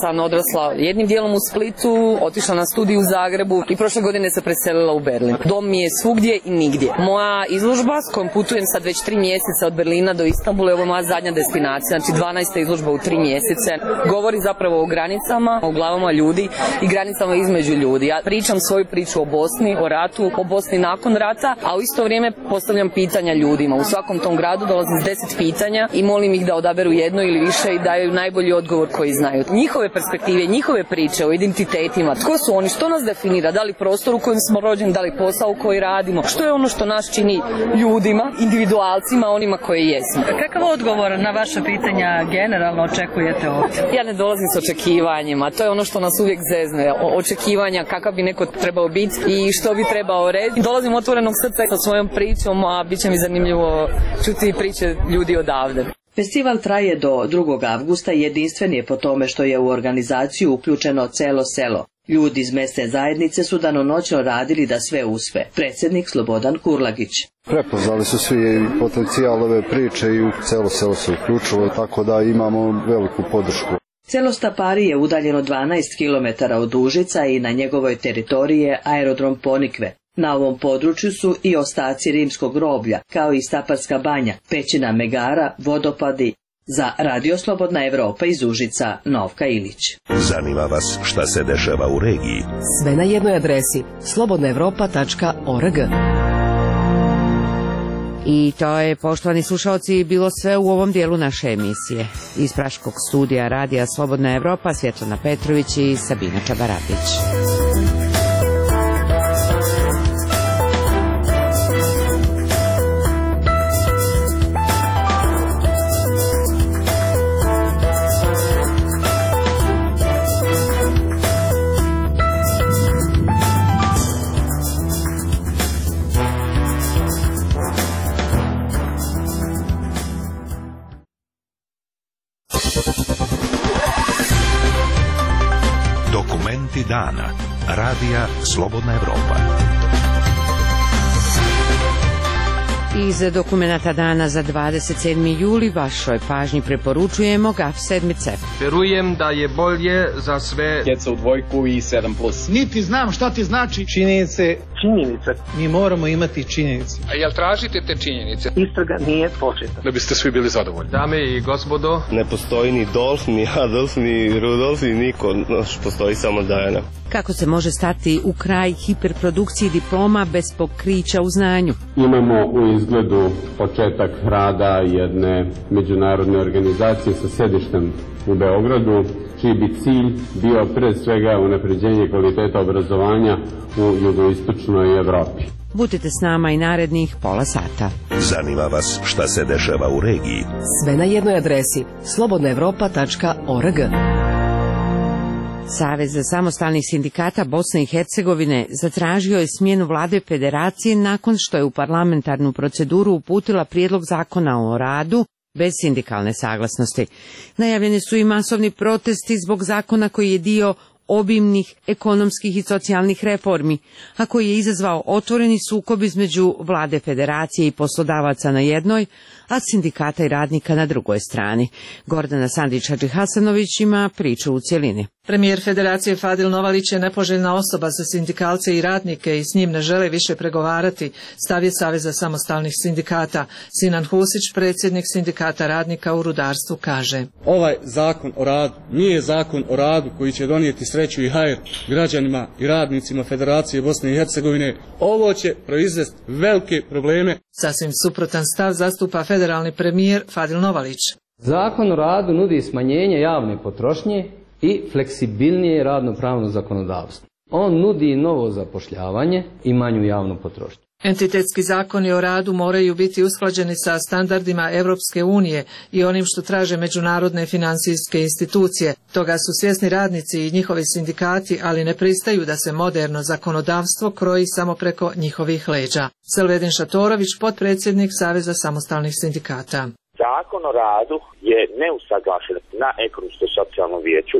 Speaker 27: sam odrasla jednim dijelom u Splitu, otišla na studij u Zagrebu i prošle godine se preselila u Berlin. Dom mi je svugdje i nigdje. Moja izložba s kojom putujem sad već tri mjeseca od Berlina do Istanbula je ovo moja zadnja destinacija, znači dvanaesta izložba u tri mjesece. Govori zapravo o granicama, o glavama ljudi i granicama između ljudi. Ja pričam svoju priču o Bosni, o ratu, o Bosni nakon rata, a u isto vrijeme postavljam pitanja ljudima. U svakom tom gradu dolazim s deset pitanja i molim ih da odaberu jedno ili više i daju najbolji odgovor koji znaju. Njihove perspektive, njihove priče o identitetima, tko su oni, što nas definira, da li prostor u kojem smo rođeni, da li posao u koji radimo, što je ono što nas čini ljudima, individualcima, onima koji jesmo.
Speaker 28: Kakav odgovor na vaše pitanja generalno očekujete ovdje?
Speaker 27: Ja ne dolazim s očekivanjima, to je ono što nas uvijek zezne, o očekivanja kakav bi neko trebao biti i što bi trebao reći. Dolazim otvorenog srca sa svojom pričom, a bit će mi zanimljivo čuti priče ljudi odavde.
Speaker 6: Festival traje do drugog avgusta i jedinstven je po tome što je u organizaciju uključeno celo selo. Ljudi iz mesne zajednice su danonoćno radili da sve uspe. Predsjednik Slobodan Kurlagić.
Speaker 29: Prepoznali su svi potencijal ove priče i u celo selo se uključilo, tako da imamo veliku podršku.
Speaker 6: Selo Stapari je udaljeno dvanaest kilometara od Užica i na njegovoj teritoriji je aerodrom Ponikve. Na ovom području su i ostaci rimskog groblja, kao i Staparska banja, pećina Megara, vodopadi. Za Radio Slobodna Evropa iz Užica, Novka Ilić.
Speaker 2: Zanima vas šta se dešava u regiji?
Speaker 5: Sve na jednoj adresi slobodna evropa tačka org.
Speaker 1: I to je, poštovani slušalci, bilo sve u ovom dijelu naše emisije. Iz Praškog studija Radija Slobodna Evropa, Svjetlana Petrović i Sabina Čabaratić.
Speaker 2: Dokumenti dana. Radija Slobodna Evropa.
Speaker 1: Iz dokumenata dana za dvadeset sedmi juli vašoj pažnji preporučujemo Gaf sedmice.
Speaker 4: Verujem da je bolje za sve djeca u dvojku i sedam plus.
Speaker 8: Niti znam šta ti znači
Speaker 4: Činjenice.
Speaker 8: činjenice.
Speaker 4: Mi moramo imati činjenice.
Speaker 8: A jel tražite te činjenice?
Speaker 4: Istraga nije početa.
Speaker 8: Da biste svi bili zadovoljni.
Speaker 4: Dame i gospodo,
Speaker 9: ne postoji ni Dolf, ni Adolf, ni Rudolf, ni niko. Postoji samo Dajana.
Speaker 1: Kako se može stati u kraj hiperprodukciji diploma bez pokrića u znanju?
Speaker 10: Imamo u izgledu početak rada jedne međunarodne organizacije sa sedištem u Beogradu, čiji bi cilj bio pre svega unapređenje kvaliteta obrazovanja u jugoistočnoj Evropi.
Speaker 1: Budite s nama i narednih pola sata.
Speaker 2: Zanima vas šta se dešava u regiji?
Speaker 5: Sve na jednoj adresi slobodna evropa tačka org.
Speaker 1: Savez samostalnih sindikata Bosne i Hercegovine zatražio je smjenu vlade federacije nakon što je u parlamentarnu proceduru uputila prijedlog zakona o radu bez sindikalne saglasnosti. Najavljeni su i masovni protesti zbog zakona koji je dio obimnih ekonomskih i socijalnih reformi, a koji je izazvao otvoreni sukob između vlade federacije i poslodavaca na jednoj, a sindikata i radnika na drugoj strani. Gordana Sandić-Hadžihasanović ima priču u cjelini.
Speaker 13: Premijer Federacije Fadil Novalić je nepoželjna osoba za sindikalce i radnike i s njim ne žele više pregovarati, stav je Saveza samostalnih sindikata. Sinan Husić, predsjednik sindikata radnika u rudarstvu, kaže:
Speaker 14: Ovaj zakon o radu nije zakon o radu koji će donijeti sreću i hajr građanima i radnicima Federacije Bosne i Hercegovine. Ovo će proizvesti velike probleme.
Speaker 13: Sasvim suprotan stav zastupa federalni premijer Fadil Novalić.
Speaker 15: Zakon o radu nudi smanjenje javne potrošnje i fleksibilnije radno-pravno zakonodavstvo. On nudi novo zapošljavanje i manju javnu potrošnju.
Speaker 13: Entitetski zakoni o radu moraju biti usklađeni sa standardima Europske unije i onim što traže međunarodne financijske institucije. Toga su svjesni radnici i njihovi sindikati, ali ne pristaju da se moderno zakonodavstvo kroji samo preko njihovih leđa. Selvedin Šatorović, potpredsjednik Saveza samostalnih sindikata.
Speaker 16: Zakon o radu je neusaglašen na ekonomsko-socijalnom vijeću,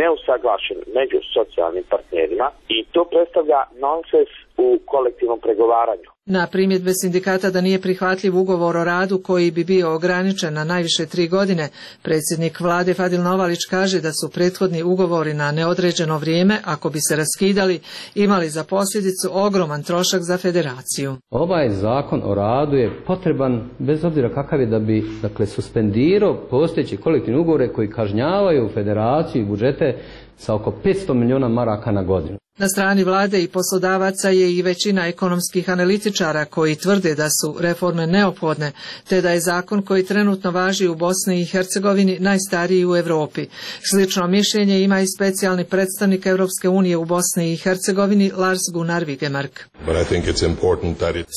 Speaker 16: neusaglašen među socijalnim partnerima i to predstavlja nonsens u kolektivnom pregovaranju.
Speaker 13: Na primjedbe sindikata da nije prihvatljiv ugovor o radu koji bi bio ograničen na najviše tri godine, predsjednik vlade Fadil Novalić kaže da su prethodni ugovori na neodređeno vrijeme, ako bi se raskidali, imali za posljedicu ogroman trošak za federaciju.
Speaker 15: Ovaj zakon o radu je potreban bez obzira kakav je da bi dakle, suspendirao postojeći kolektivni ugovore koji kažnjavaju federaciju i budžete sa oko petsto milijuna maraka na godinu.
Speaker 13: Na strani vlade i poslodavaca je i većina ekonomskih analitičara koji tvrde da su reforme neophodne, te da je zakon koji trenutno važi u Bosni i Hercegovini najstariji u Europi. Slično mišljenje ima i specijalni predstavnik Europske unije u Bosni i Hercegovini Lars Gunnar Vigemark.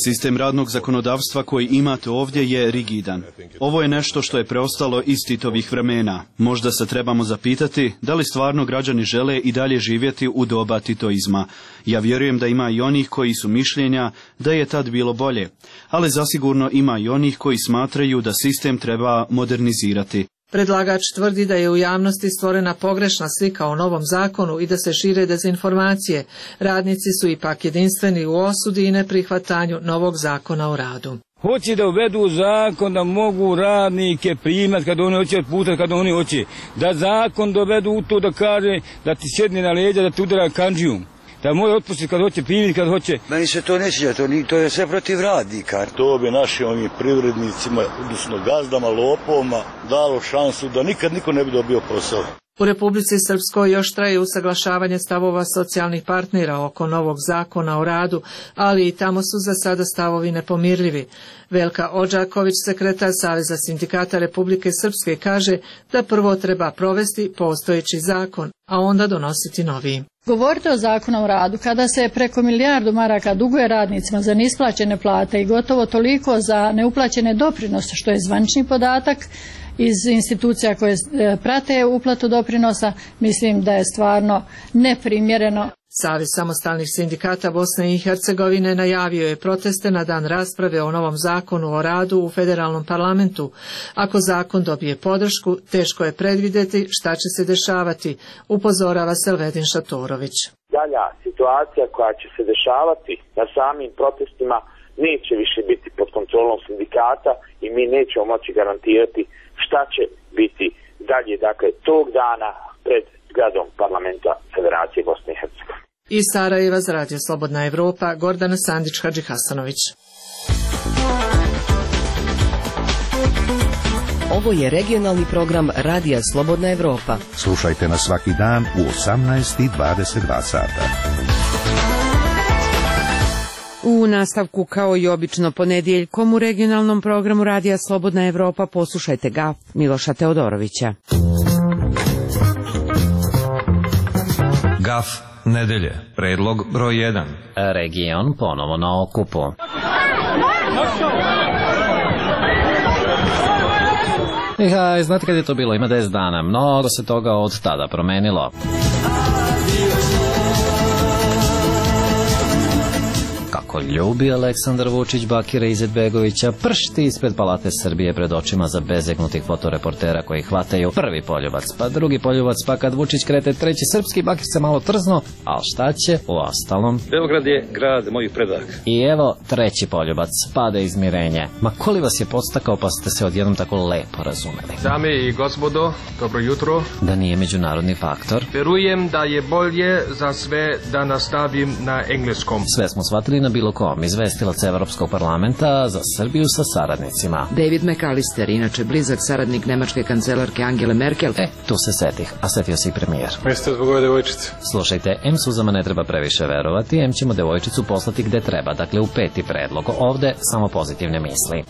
Speaker 20: Sistem radnog zakonodavstva koji imate ovdje je rigidan. Ovo je nešto što je preostalo iz Titovih vremena. Možda se trebamo zapitati da li stvarno građani žele i dalje živjeti u doba Tito. Ja vjerujem da ima i onih koji su mišljenja da je tad bilo bolje, ali zasigurno ima i onih koji smatraju da sistem treba modernizirati.
Speaker 13: Predlagač tvrdi da je u javnosti stvorena pogrešna slika o novom zakonu i da se šire dezinformacije. Radnici su ipak jedinstveni u osudi i neprihvatanju novog zakona o radu.
Speaker 30: Hoće da uvedu zakon da mogu radnike primati kada oni hoće otputati, kada oni hoće. Da zakon dovedu u to da kaže da ti sjedne na leđa, da ti udara kandžijum. da može otpustiti kad hoće, primiti kad hoće.
Speaker 3: Meni se to ne sviđa, to, to je sve protiv radnika.
Speaker 11: To bi našim ovim privrednicima, odnosno gazdama, lopovima, dalo šansu da nikad niko ne bi dobio posao.
Speaker 13: U Republici Srpskoj još traje usaglašavanje stavova socijalnih partnera oko novog zakona o radu, ali i tamo su za sada stavovi nepomirljivi. Velka Odžaković, sekretar Saveza sindikata Republike Srpske, kaže da prvo treba provesti postojeći zakon, a onda donositi novi.
Speaker 12: Govorite o zakonu o radu kada se preko milijardu maraka duguje radnicima za neisplaćene plate i gotovo toliko za neuplaćene doprinose, što je zvanični podatak iz institucija koje prate uplatu doprinosa, mislim da je stvarno neprimjereno.
Speaker 13: Savez samostalnih sindikata Bosne i Hercegovine najavio je proteste na dan rasprave o novom zakonu o radu u federalnom parlamentu. Ako zakon dobije podršku, teško je predvidjeti šta će se dešavati, upozorava Selvedin Šatorović.
Speaker 16: Dalja situacija koja će se dešavati na samim protestima neće više biti pod kontrolom sindikata i mi nećemo moći garantirati šta će biti dalje, dakle, tog dana pred zgradom parlamenta Federacije Bosne i Hercegovine.
Speaker 13: Iz Sarajeva za Radio Slobodna Evropa, Gordana Sandić-Hadžihasanović.
Speaker 5: Ovo je regionalni program Radija Slobodna Evropa.
Speaker 2: Slušajte nas svaki dan u osamnaest i dvadeset dva sata.
Speaker 1: U nastavku, kao i obično ponedjeljkom, u regionalnom programu Radija Slobodna Evropa poslušajte Gaf Miloša Teodorovića.
Speaker 17: Gaf nedelje, predlog broj jedan.
Speaker 18: Region ponovo na okupu. I znate kad je to bilo? Ima deset dana. Mnogo se toga od tada promenilo. Kako ljubi Aleksandar Vučić Bakira Izetbegovića, pršti ispred Palate Srbije pred očima za bezegnutih fotoreportera koji hvataju prvi poljubac, pa drugi poljubac, pa kad Vučić krete treći srpski, Bakir se malo trzno, ali šta će u ostalom?
Speaker 19: Beograd je grad mojih predaka.
Speaker 18: I evo treći poljubac, pade izmirenje. Ma koli vas je podstakao pa ste se odjednom tako lepo razumeli?
Speaker 4: Dame i gospodo, dobro jutro.
Speaker 18: Da nije međunarodni faktor?
Speaker 4: Verujem da je bolje za sve da nastavim na engleskom.
Speaker 18: Sve smo shvatili na bilo kom, izvestilac Evropskog parlamenta za Srbiju sa saradnicima.
Speaker 21: David McAllister, inače blizak saradnik nemačke kancelarke Angele Merkel.
Speaker 18: E, tu se setih, a setio se i premijer.
Speaker 19: Jeste zbog ove devojčice?
Speaker 18: Slušajte, em suzama ne treba previše verovati, em ćemo devojčicu poslati gde treba, dakle u peti predlog. Ovde samo pozitivne misli.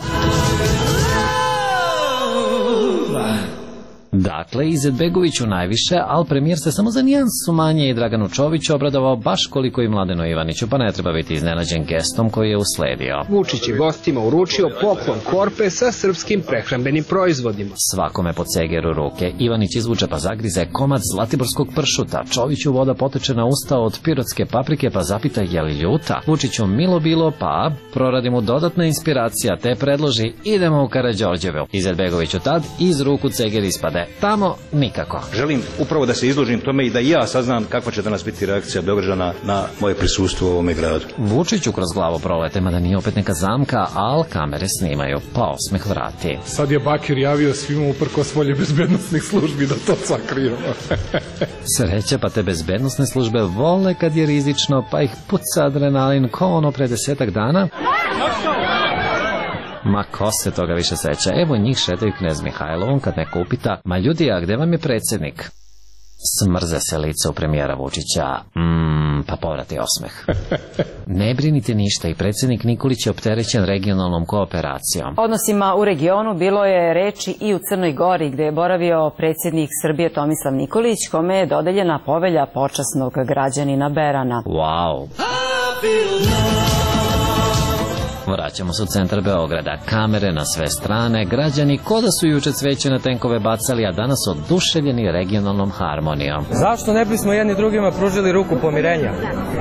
Speaker 18: Dakle, Izetbegoviću najviše, ali premijer se samo za nijansu manje i Draganu Čoviću obradovao baš koliko i Mladenu Ivaniću, pa ne treba biti iznenađen gestom koji je usledio.
Speaker 22: Vučić je gostima uručio poklon korpe sa srpskim prehrambenim proizvodima.
Speaker 18: Svakome po cegeru ruke. Ivanić izvuče pa zagrize komad zlatiborskog pršuta. Čoviću voda poteče na usta od pirotske paprike pa zapita je li ljuta. Vučiću milo bilo pa proradi mu dodatna inspiracija te predloži idemo u Karađorđevu. Izetbegoviću tad iz ruku ceger ispade. Tamo nikako.
Speaker 19: Želim upravo da se izložim tome i da i ja saznam kakva će danas biti reakcija Beograđana na moje prisustvo u ovome gradu.
Speaker 18: Vučiću kroz glavu prolete, mada nije opet neka zamka, al kamere snimaju, pa osmeh vrati.
Speaker 23: Sad je Bakir javio svima uprkos volje bezbednostnih službi da to sakriju.
Speaker 18: Sreća, pa te bezbednostne službe vole kad je rizično, pa ih puca adrenalin ko ono pre desetak dana. Ma ko se toga više seća? Evo njih šetaju knez Mihajlovom kad neko upita, ma ljudi, a gde vam je predsjednik? Smrze se lice u premijera Vučića. Mm, pa povrati osmeh. Ne brinite ništa i predsjednik Nikolić je opterećen regionalnom kooperacijom.
Speaker 24: Odnosima u regionu bilo je reči i u Crnoj Gori gde je boravio predsjednik Srbije Tomislav Nikolić, kome je dodeljena povelja počasnog građanina Berana.
Speaker 18: Wow. Vraćamo se u centar Beograda. Kamere na sve strane, građani ko da su juče cveće na tenkove bacali, a danas oduševljeni regionalnom harmonijom.
Speaker 31: Zašto ne bismo jedni drugima pružili ruku pomirenja?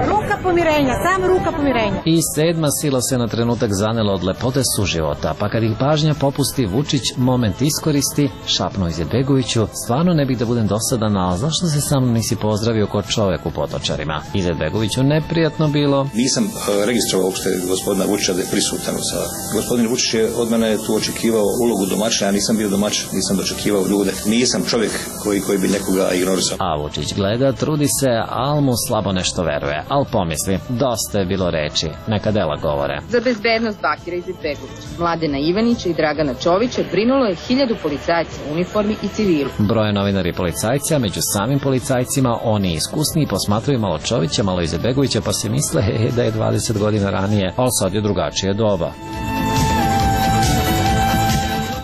Speaker 32: Ruka pomirenja, samo ruka pomirenja.
Speaker 18: I sedma sila se na trenutak zanela od lepote suživota, pa kad ih pažnja popusti, Vučić moment iskoristi, šapnuo Izetbegoviću, stvarno ne bih da budem dosadan, ali zašto se sa mnom nisi pozdravio kod čovek u potočarima? Izetbegoviću neprijatno bilo.
Speaker 19: Nisam registrovao uopšte gospodina Vučića da je prisutan u sali. Gospodin Vučić je od mene tu očekivao ulogu domaćina, ja nisam bio domaćin, nisam dočekivao ljude. Nisam čovjek koji, koji bi nekoga ignorisao.
Speaker 18: A Vučić gleda, trudi se, al mu slabo nešto veruje. Al pomisli, dosta je bilo reči, neka dela govore.
Speaker 6: Za bezbednost Bakira Izetbegovića, Mladena Ivanića i Dragana Čovića brinulo je hiljadu policajaca u uniformi i civilu.
Speaker 18: Broje novinari policajca, među samim policajcima oni iskusniji posmatraju malo Čovića, malo Izetbegovića, pa se misle he, da je dvadeset godina ranije, ali sad je drugačije doba.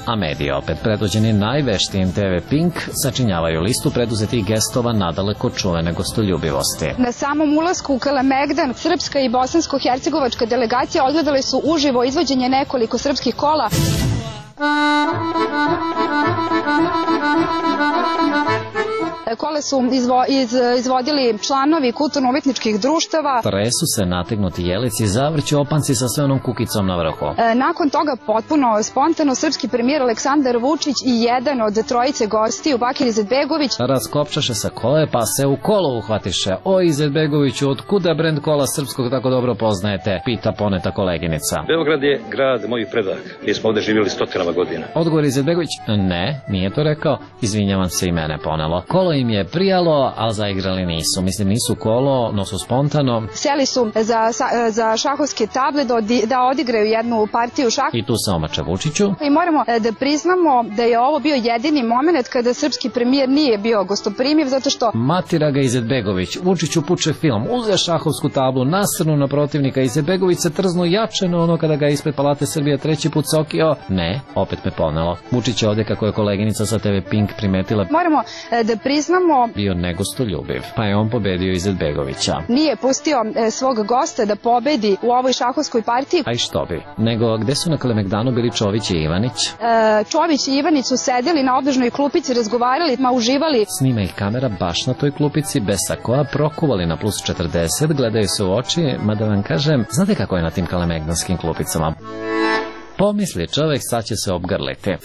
Speaker 18: A mediji, opet predvođeni najveštijim te ve Pink, sačinjavaju listu preduzetih gestova nadaleko čuvene gostoljubivosti.
Speaker 7: Na samom ulasku u Kalemegdan, srpska i bosansko-hercegovačka delegacija odgledale su uživo izvođenje nekoliko srpskih kola. Kole su izvo, iz, izvodili članovi kulturno-umetničkih društava.
Speaker 18: Tresu se nategnuti jelici, zavrću opanci sa sve onom kukicom na vrhu.
Speaker 7: E, nakon toga potpuno spontano srpski premijer Aleksandar Vučić i jedan od trojice gostiju, Bakir Izetbegović,
Speaker 18: raskopčaše sa kole pa se u kolo uhvatiše. O Izetbegoviću, od kuda brend kola srpskog tako dobro poznajete? Pita poneta koleginica.
Speaker 19: Beograd je grad mojih predak. Mi smo ovde živjeli stotinama godina.
Speaker 18: Odgovor Izetbegović, ne, nije to rekao. Izvinjavam se, i mene ponelo. Kolo im je prijalo, ali zaigrali nisu. Mislim, nisu kolo, no su spontano.
Speaker 7: Sjeli su za, za šahovske table da, odi, da odigraju jednu partiju šaha.
Speaker 18: I tu se omače Vučiću.
Speaker 7: I moramo da priznamo da je ovo bio jedini moment kada srpski premijer nije bio gostoprimiv, zato što...
Speaker 18: Matira ga Izetbegović. Vučiću puče film, uze šahovsku tablu, nasrnu na protivnika. Izetbegović se trznu jače na ono kada ga ispred Palate Srbije treći put sokio. Ne, opet me ponelo. Vučić je ovde, kako je koleginica sa te ve Pink primetila.
Speaker 7: Moramo da priznamo...
Speaker 18: bio negostoljubiv, pa je on pobedio Izetbegovića.
Speaker 7: Nije pustio e, svog gosta da pobedi u ovoj šahovskoj partiji.
Speaker 18: A i što bi? Nego, gde su na Kalemegdanu bili Čović i Ivanić?
Speaker 7: E, Čović i Ivanić su sedeli na obdržnoj klupici, razgovarali, ma uživali.
Speaker 18: Snima ih kamera baš na toj klupici, bez sakoa, prokuvali na plus četrdeset, gledaju se u oči, mada vam kažem, znate kako je na tim kalemegdanskim klupicama? Pomisli čovek, sad će se obgrliti.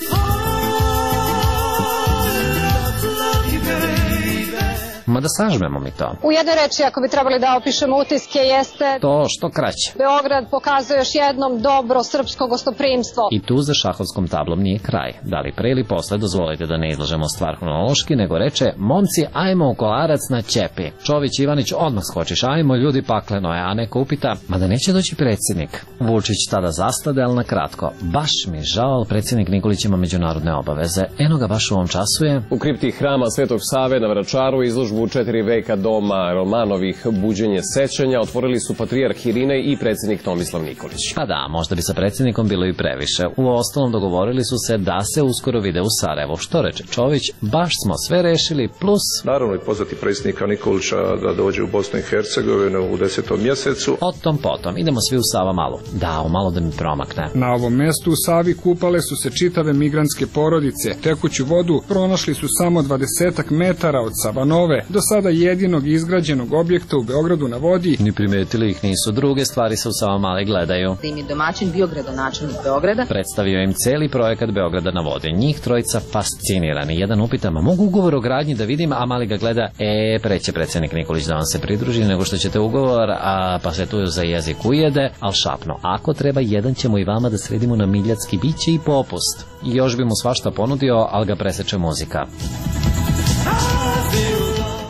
Speaker 18: Ma da sažmemo mi to.
Speaker 32: U jednoj reči, ako bi trebali da opišemo utiske, jeste...
Speaker 18: To što kraće.
Speaker 32: Beograd pokazuje još jednom dobro srpsko gostoprimstvo.
Speaker 18: I tu za šahovskom tablom nije kraj. Da li pre ili posle, dozvolite da ne izlažemo stvar hronološki, nego reče, momci, ajmo u Kolarac na Ćepi. Čović Ivanić odmah skočiš, ajmo, ljudi, pakleno je, a neko upita, ma da neće doći predsjednik. Vučić tada zastade, ali na kratko. Baš mi žao, ali predsjednik Nikolić ima međunarodne obaveze. Eno ga baš u ovom času je...
Speaker 8: U kripti hrama Svetog Save na Vračaru izložbu u četiri veka doma Romanovih buđenje sećanja otvorili su patrijarh Irinej i predsjednik Tomislav Nikolić.
Speaker 18: Pa da, možda bi sa predsjednikom bilo i previše. U ostalom dogovorili su se da se uskoro vide u Sarajevu. Što reče Čović, baš smo sve rešili, plus...
Speaker 9: Naravno i pozvati predsjednika Nikolića da dođe u Bosnu i Hercegovinu u desetom mjesecu.
Speaker 18: O tom potom, idemo svi u Savamalu. Da, u malo da mi promakne.
Speaker 23: Na ovom mjestu u Savi kupale su se čitave migrantske porodice. Tekuću vodu pronašli su samo dvadesetak metara od Savanove, do sada jedinog izgrađenog objekta u Beogradu na vodi.
Speaker 18: Ni primetili ih nisu, druge stvari se u Savamali gledaju.
Speaker 6: Da im je domaćin bio gradonačelnik Beograda.
Speaker 18: Predstavio im celi projekat Beograda na vodi. Njih trojica fascinirani. Jedan upita, ma mogu ugovor o gradnji da vidim, a mali ga gleda, e, preće predsjednik Nikolić da vam se pridruži nego što ćete ugovor, a pa se tu za jezik ujede, al šapno. Ako treba, jedan ćemo i vama da sredimo na miljacki biće i popust. I još bi mu svašta ponudio, ali ga preseče muzika.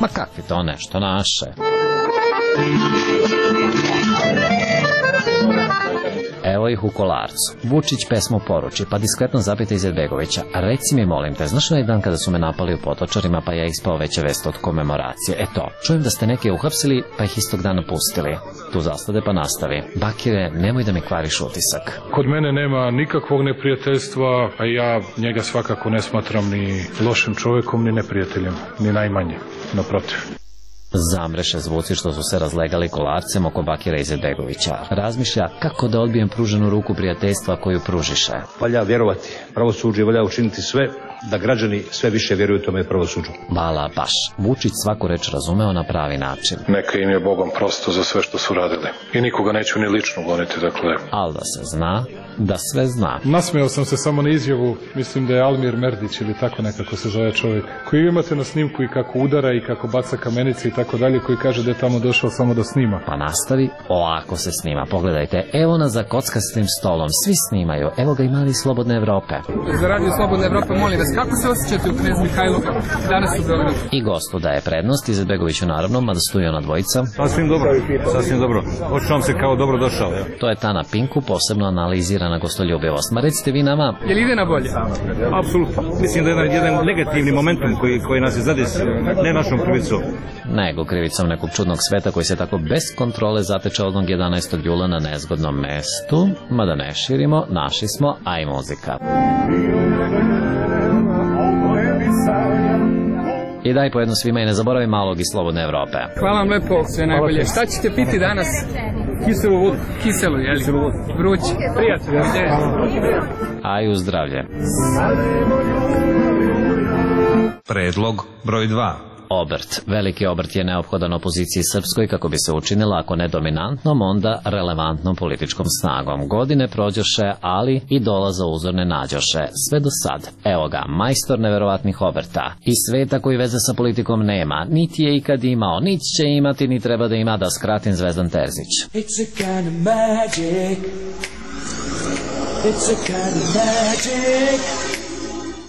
Speaker 18: Ma kakvi to nešto naše? Evo ih u Kolarcu. Vučić pesmu poruči, pa diskretno zapita Izetbegovića. Reci mi, molim te, znaš onaj dan kada su me napali u Potočarima, pa ja ispao veće vest od komemoracije? Eto, čujem da ste neke uhapsili, pa ih istog dana pustili. Tu zastade pa nastavi. Bakire, nemoj da mi kvariš utisak.
Speaker 23: Kod mene nema nikakvog neprijateljstva, a ja njega svakako ne smatram ni lošim čovjekom, ni neprijateljem, ni najmanje, naprotiv.
Speaker 18: Zamreše zvuci što su se razlegali Kolarcem oko Bakira Izetbegovića. Razmišlja kako da odbijem pruženu ruku prijateljstva koju pružiše.
Speaker 19: Valja vjerovati, pravosuđe valja učiniti sve da građani sve više vjeruju tome pravosuđu.
Speaker 18: Bala baš. Vučić svaku reč razumeo na pravi način.
Speaker 9: Neka im je Bogom prosto za sve što su radili. I nikoga neću ni lično goniti, dakle.
Speaker 18: Ali da se zna, da sve zna.
Speaker 3: Nasmeo sam se samo na izjavu, mislim da je Almir Merdić ili tako nekako se zove čovjek, koji imate na snimku i kako udara i kako baca kamenice i tako dalje, koji kaže da je tamo došao samo da snima.
Speaker 18: Pa nastavi, ovako se snima. Pogledajte, evo nas za kockastim stolom, svi snimaju, evo ga i mali Slobodne Evrope.
Speaker 23: Za radio Slobodne Evrope, molim vas, kako se osjećate u Knez Mihajlovu danas u Beogradu?
Speaker 18: I gostu daje prednost, Izetbegoviću naravno, mada stoji ona dvojica.
Speaker 19: Sasvim dobro, sasvim dobro. Očuvam se kao dobro došao. Ja.
Speaker 18: To je Tana Pinku, posebno analizirana gostoljubivost. Ma recite vi nama...
Speaker 23: Je li ide na bolje?
Speaker 19: Apsolutno. Mislim da je jedan, jedan negativni momentum koji, koji nas je zadesio, ne našom krivicom.
Speaker 18: Nego krivicom nekog čudnog sveta koji se tako bez kontrole zateče odnog jedanaestog jula na nezgodnom mestu. Mada ne širimo, naši smo, a i muzika. I daj po jednu svima i ne zaboravi malog iz Slobodne Evrope.
Speaker 23: Hvala vam lepo, sve najbolje. Šta ćete piti danas?
Speaker 19: Kiselu vodu.
Speaker 23: Kiselu, jeli?
Speaker 19: Kiselu vodu.
Speaker 23: Vrući.
Speaker 19: Prijatelj.
Speaker 18: A i u zdravlje.
Speaker 17: Predlog broj dva.
Speaker 18: Obrt. Veliki obrt je neophodan opoziciji srpskoj kako bi se učinila, ako ne dominantnom, onda relevantnom političkom snagom. Godine prođoše, ali i dolaza uzorne nađoše. Sve do sad. Evo ga, majstor neverovatnih obrta. Iz sveta koji veze sa politikom nema, niti je ikad imao, niti će imati, ni treba da ima, da skratim, Zvezdan Terzić. It's a kind of magic. It's a kind of magic.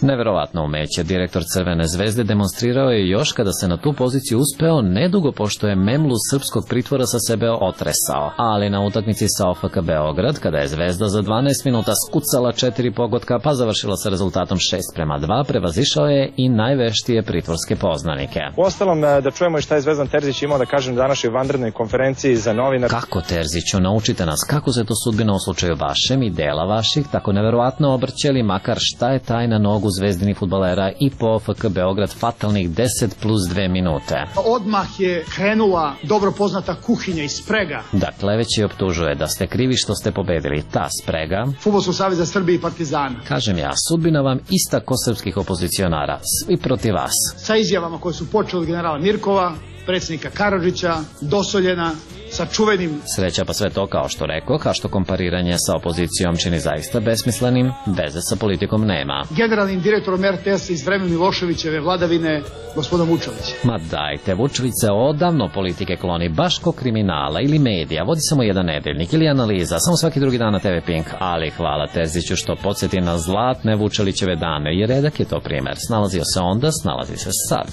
Speaker 18: Neverovatno umeće direktor Crvene zvezde demonstrirao je još kada se na tu poziciju uspeo nedugo pošto je memlu srpskog pritvora sa sebe otresao. Ali na utakmici sa O F K Beograd, kada je Zvezda za dvanaest minuta skucala četiri pogotka pa završila sa rezultatom šest prema dva, prevazišao je i najveštije pritvorske poznanike.
Speaker 10: Uostalom, da čujemo i šta je Zvezdan Terzić imao da kažem na današnjoj vanrednoj konferenciji za novinar.
Speaker 18: Kako, Terziću, naučite nas kako se to sudbina u slučaju vašem i dela vaših tako neverovatno obrćeli, makar šta je tajna nogu zvezdini fudbalera i po O F K Beograd fatalnih deset plus dve minute.
Speaker 11: Odmah je krenula dobro poznata kuhinja i sprega.
Speaker 18: Dakle, već je optužuje da ste krivi što ste pobedili. Ta sprega...
Speaker 11: Fudbalskog saveza Srbije i Partizana.
Speaker 18: Kažem ja, sudbina vam ista ko srpskih opozicionara. Svi protiv vas.
Speaker 11: Sa izjavama koje su počeli od generala Mirkova, predsjednika Karadžića, Dosoljena, sa čuvenim...
Speaker 18: Sreća pa sve to, kao što rekao, kao što kompariranje sa opozicijom čini zaista besmislenim, veze sa politikom nema.
Speaker 11: Generalnim direktorom R T S iz vremena Miloševićeve vladavine, gospodom Vučevića.
Speaker 18: Ma dajte, Vučević se odavno politike kloni, baš ko kriminala ili medija, vodi samo jedan nedeljnik ili analiza, samo svaki drugi dan na T V Pink, ali hvala Terziću što podsjeti na zlatne Vučelićeve dane, jer redak je to primer. Snalazio se onda, snalazi se sad.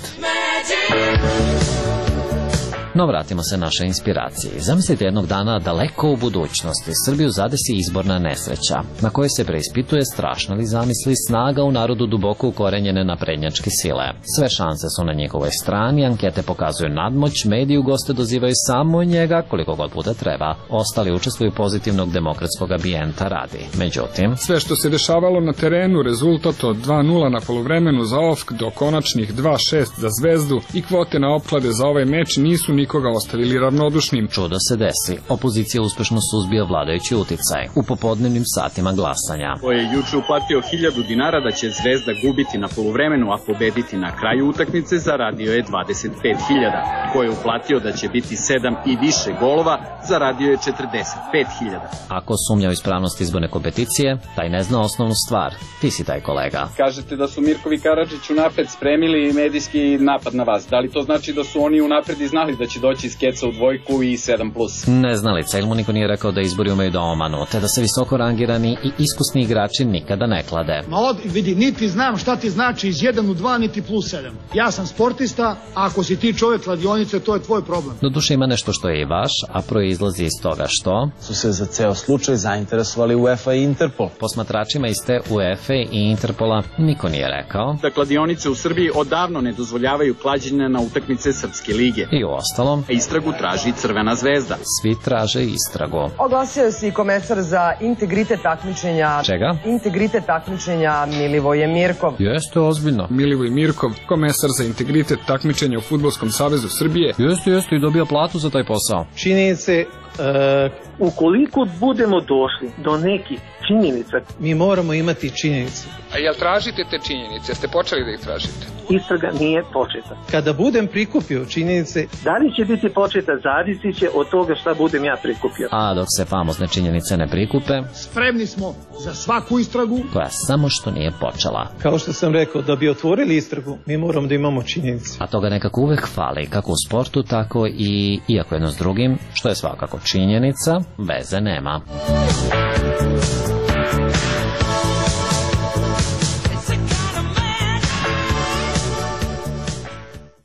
Speaker 18: No vratimo se našoj inspiraciji. Zamislite jednog dana daleko u budućnosti Srbiju zadesi izborna nesreća, na kojoj se preispituje strašna li zamisli snaga u narodu duboko ukorenjene naprednjačke sile. Sve šanse su na njihovoj strani, ankete pokazuju nadmoć, mediji u goste dozivaju samo njega koliko god puta treba. Ostali učestvuju pozitivnog demokratskog ambijenta radi. Međutim,
Speaker 23: sve što se dešavalo na terenu, rezultat od dva nula na poluvremenu za O F K do konačnih dva šest za Zvezdu i kvote na opklade za ovaj meč nisu ni nikoga ostavili ravnodušnim.
Speaker 18: Čudo se desi. Opozicija uspešno suzbija vladajući uticaj u popodnevnim satima glasanja.
Speaker 4: Ko je juče uplatio hiljadu dinara da će Zvezda gubiti na poluvremenu, a pobediti na kraju utakmice, zaradio je dvadeset pet hiljada. Ko je uplatio da će biti sedam i više golova, zaradio je četrdeset pet hiljada.
Speaker 18: Ako sumnja u ispravnost izborne kompeticije, taj ne zna osnovnu stvar. Ti si taj kolega.
Speaker 4: Kažete da su Mirkovi Karadžić unapred spremili medijski napad na vas. Da li to znači da su oni unapred i znali da će doći iz keca u dvojku i sedam plus?
Speaker 18: Neznalica, ili mu niko nije rekao da izbori umeju da omanu, te da se visoko rangirani i iskusni igrači nikada ne klade.
Speaker 11: Ma od, vidi, niti znam šta ti znači iz jedan u dva, niti plus sedam. Ja sam sportista, a ako si ti čovjek kladionice, to je tvoj problem.
Speaker 18: Doduše ima nešto što je i vaš, a proizlazi iz toga što...
Speaker 14: su se za ceo slučaj zainteresovali UEFA i Interpol.
Speaker 18: Posmatračima iz te UEFA i Interpola niko nije rekao
Speaker 4: da kladionice u Srbiji odavno ne dozvoljavaju klađenje na utakmice Srpske lige.
Speaker 18: I u ostalom,
Speaker 4: istragu traži Crvena zvezda.
Speaker 18: Svi traže istragu.
Speaker 15: Oglasio se i komesar za integritet takmičenja.
Speaker 18: Čega?
Speaker 15: Integritet takmičenja Milivoje Mirkov.
Speaker 18: Jeste ozbiljno.
Speaker 23: Milivoj Mirkov, komesar za integritet takmičenja u Fudbalskom savezu Srbije.
Speaker 18: Jeste, jeste i dobija platu za taj posao.
Speaker 20: Čini se, e, ukoliko budemo došli do nekih
Speaker 2: činjenica.
Speaker 5: Mi moramo imati činjenice.
Speaker 23: A jel tražite te činjenice? Ste počeli da ih tražite?
Speaker 2: Istraga nije početa.
Speaker 5: Kada budem prikupio činjenice...
Speaker 2: Da li će biti početa, zavisi će od toga šta budem ja prikupio.
Speaker 18: A dok se famozne činjenice ne prikupe...
Speaker 11: Spremni smo za svaku istragu.
Speaker 18: Koja samo što nije počela.
Speaker 5: Kao što sam rekao, da bi otvorili istragu, mi moramo da imamo činjenice.
Speaker 18: A toga nekako uvek fali, kako u sportu, tako i iako jedno s drugim, što je svakako činjenica, veze nema.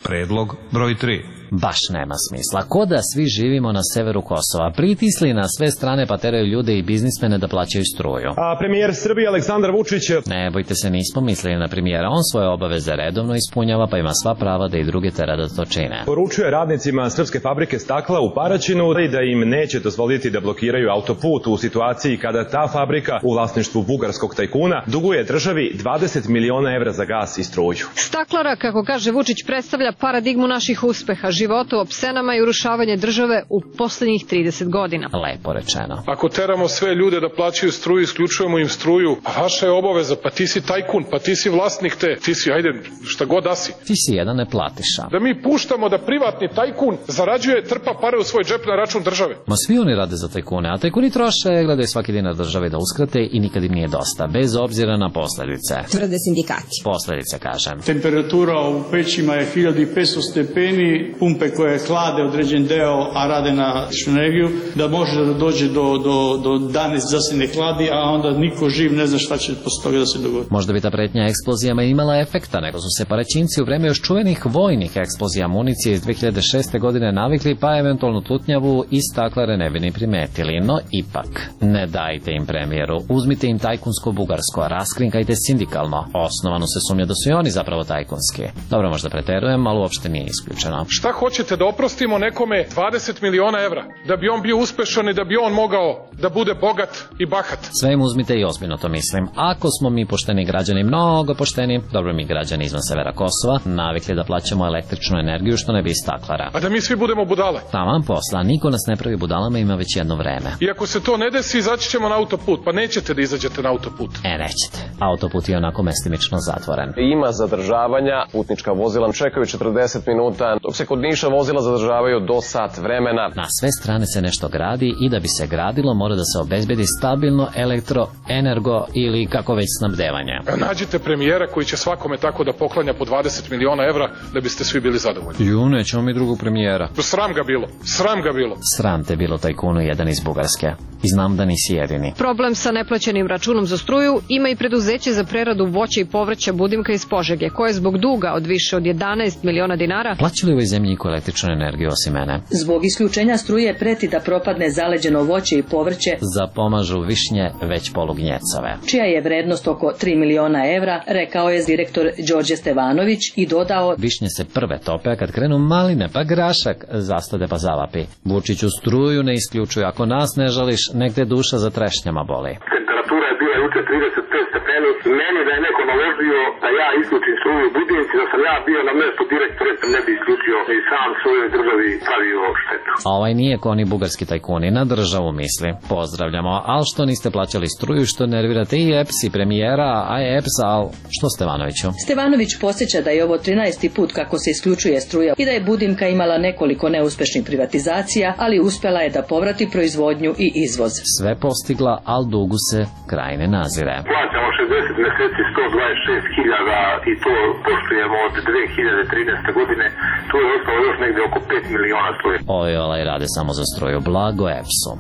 Speaker 17: Predlog broj tri.
Speaker 18: Baš nema smisla. Ko da svi živimo na severu Kosova, pritisli na sve strane pa teraju ljude i biznismene da plaćaju struju.
Speaker 12: A premijer Srbije Aleksandar Vučić...
Speaker 18: Ne bojte se, nismo mislili na premijera. On svoje obaveze redovno ispunjava, pa ima sva prava da i druge tera da to čine.
Speaker 12: Poručuje radnicima Srpske fabrike stakla u Paraćinu da im neće dozvoliti da blokiraju autoput u situaciji kada ta fabrika u vlasništvu bugarskog tajkuna duguje državi dvadeset miliona evra za gas i struju.
Speaker 32: Staklara, kako kaže Vučić, predstavlja paradigmu naših uspeha, života u opsenama i urušavanje države u poslednjih trideset godina.
Speaker 18: Lepo rečeno.
Speaker 3: Ako teramo sve ljude da plaćaju struju, isključujemo im struju, a vaša je obaveza, pa ti si tajkun, pa ti si vlasnik te, ti si, ajde, šta god da si.
Speaker 18: Ti si jedan neplatiša.
Speaker 3: Da mi puštamo da privatni tajkun zarađuje, trpa pare u svoj džep na račun države.
Speaker 18: Ma svi oni rade za tajkune, a tajkuni troše, gledaju svaki dinar države da uskrate i nikad im nije dosta, bez obzira na posledice.
Speaker 13: Tvrde sindikati.
Speaker 18: Posledice, kažem.
Speaker 16: Temperatura u pećima je hiljadu petsto stepeni, pumpe koje hlade određen deo, a rade na električnu energiju, da može da dođe do, do, do danaest da se ne hladi, a onda niko živ ne zna šta će posle toga da se dogodi.
Speaker 18: Možda bi ta pretnja eksplozijama imala efekta, nego su se Paraćinci u vreme još čuvenih vojnih eksplozija municije iz dve hiljade šeste. godine navikli, pa eventualno tutnjavu i staklare ne bi ni primetili. No ipak, ne dajte im premijeru, uzmite im tajkunsko-bugarsko, raskrinkajte sindikalno. Osnovano se sumnja da su i oni zapravo tajkunski. Dobro, možda preterujem, ali uopšte nije isključeno.
Speaker 3: Šta hoćete, da oprostimo nekome dvadeset miliona evra, da bi on bio uspešan i da bi on mogao da bude bogat i bahat?
Speaker 18: Sve im uzmite i ozbiljno to mislim. Ako smo mi pošteni građani, mnogo pošteni, dobro mi građani izvan severa Kosova, navikli da plaćamo električnu energiju što ne bi iz staklara.
Speaker 3: A da mi svi budemo budale?
Speaker 18: Taman posla, niko nas ne pravi budalama, ima već jedno vreme.
Speaker 3: I ako se to ne desi, izaći ćemo na autoput, pa nećete da izađete na autoput.
Speaker 18: E, nećete. Autoput je onako mestimično zatvoren.
Speaker 8: Ima zadržavanja, putnička vozila čekaju četrdeset minuta, dok se kod Niša vozila zadržavaju do sat vremena.
Speaker 18: Na sve strane se nešto gradi i da bi se gradilo mora da se obezbedi stabilno elektro, energo ili kako već snabdevanje.
Speaker 3: Nađite premijera koji će svakome tako da poklanja po dvadeset miliona evra da biste svi bili zadovoljni.
Speaker 18: Ju, nećemo mi drugog premijera.
Speaker 3: Sram ga bilo, sram ga bilo.
Speaker 18: Sram te bilo tajkunu jedan iz Bugarske. I znam da nisi jedini.
Speaker 32: Problem sa neplaćenim računom za struju ima i preduzeće za preradu voća i povrća Budimka iz Požege, koje zbog duga od više od jedanaest miliona dinara
Speaker 18: plaćali u ovoj zemlji niko električnu energiju osim mene.
Speaker 20: Zbog isključenja struje preti da propadne zaleđeno voće i povrće.
Speaker 18: Zapomažu višnje već polugnjecove.
Speaker 20: Čija je vrednost oko tri miliona evra, rekao je direktor Đorđe Stevanović i dodao:
Speaker 18: Višnje se prve tope, a kad krenu maline pa grašak zastade pa zavapi. Vučiću, struju ne isključuju, ako nas ne žališ, nek te duša za trešnjama boli.
Speaker 25: Temperatura je bila juče trideset pet stepeni. Meni da je neko naložio da ja isključim struju u Budimci, da sam ja bio na mestu direktora, ne bi isključio i sam svojoj državi pravio štetu.
Speaker 18: A ovaj nije ko oni bugarski tajkuni, na državu misli. Pozdravljamo, al što niste plaćali struju, što nervirate i E P S i premijera, a E P S, al što Stevanoviću?
Speaker 20: Stevanović podsjeća da je ovo trinaesti put kako se isključuje struja i da je Budimka imala nekoliko neuspešnih privatizacija, ali uspela je da povrati proizvodnju i izvoz.
Speaker 18: Sve postigla, al dugu se kraj ne nazire.
Speaker 25: Plaćamo šezdeset meseci sto dvadeset šest hiljada i to poštujemo od dve hiljade trinaeste. godine. Tu je ostalo još negde oko pet miliona struje.
Speaker 18: Oj, olaj rade samo za struju. Blago E P S-u.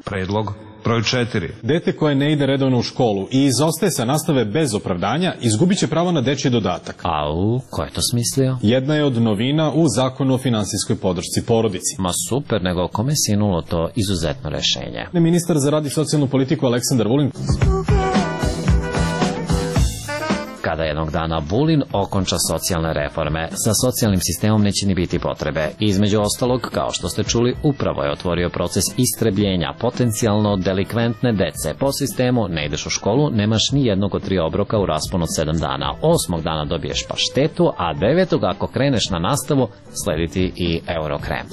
Speaker 17: Predlog broj četiri.
Speaker 26: Dete koje ne ide redovno u školu i izostaje sa nastave bez opravdanja izgubit će pravo na dečji dodatak.
Speaker 18: Au, ko je to smislio?
Speaker 26: Jedna je od novina u Zakonu o finansijskoj podršci porodici.
Speaker 18: Ma super, nego kome si sinulo to izuzetno rešenje?
Speaker 26: Ministar za rad i socijalnu politiku Aleksandar Vulin
Speaker 18: kada jednog dana Vulin okonča socijalne reforme. Sa socijalnim sistemom neće ni biti potrebe. Između ostalog, kao što ste čuli, upravo je otvorio proces istrebljenja potencijalno delikventne dece. Po sistemu ne ideš u školu, nemaš ni jednog od tri obroka u rasponu od sedam dana. Osmog dana dobiješ paštetu, a devetog ako kreneš na nastavu, slediti i Eurokrem.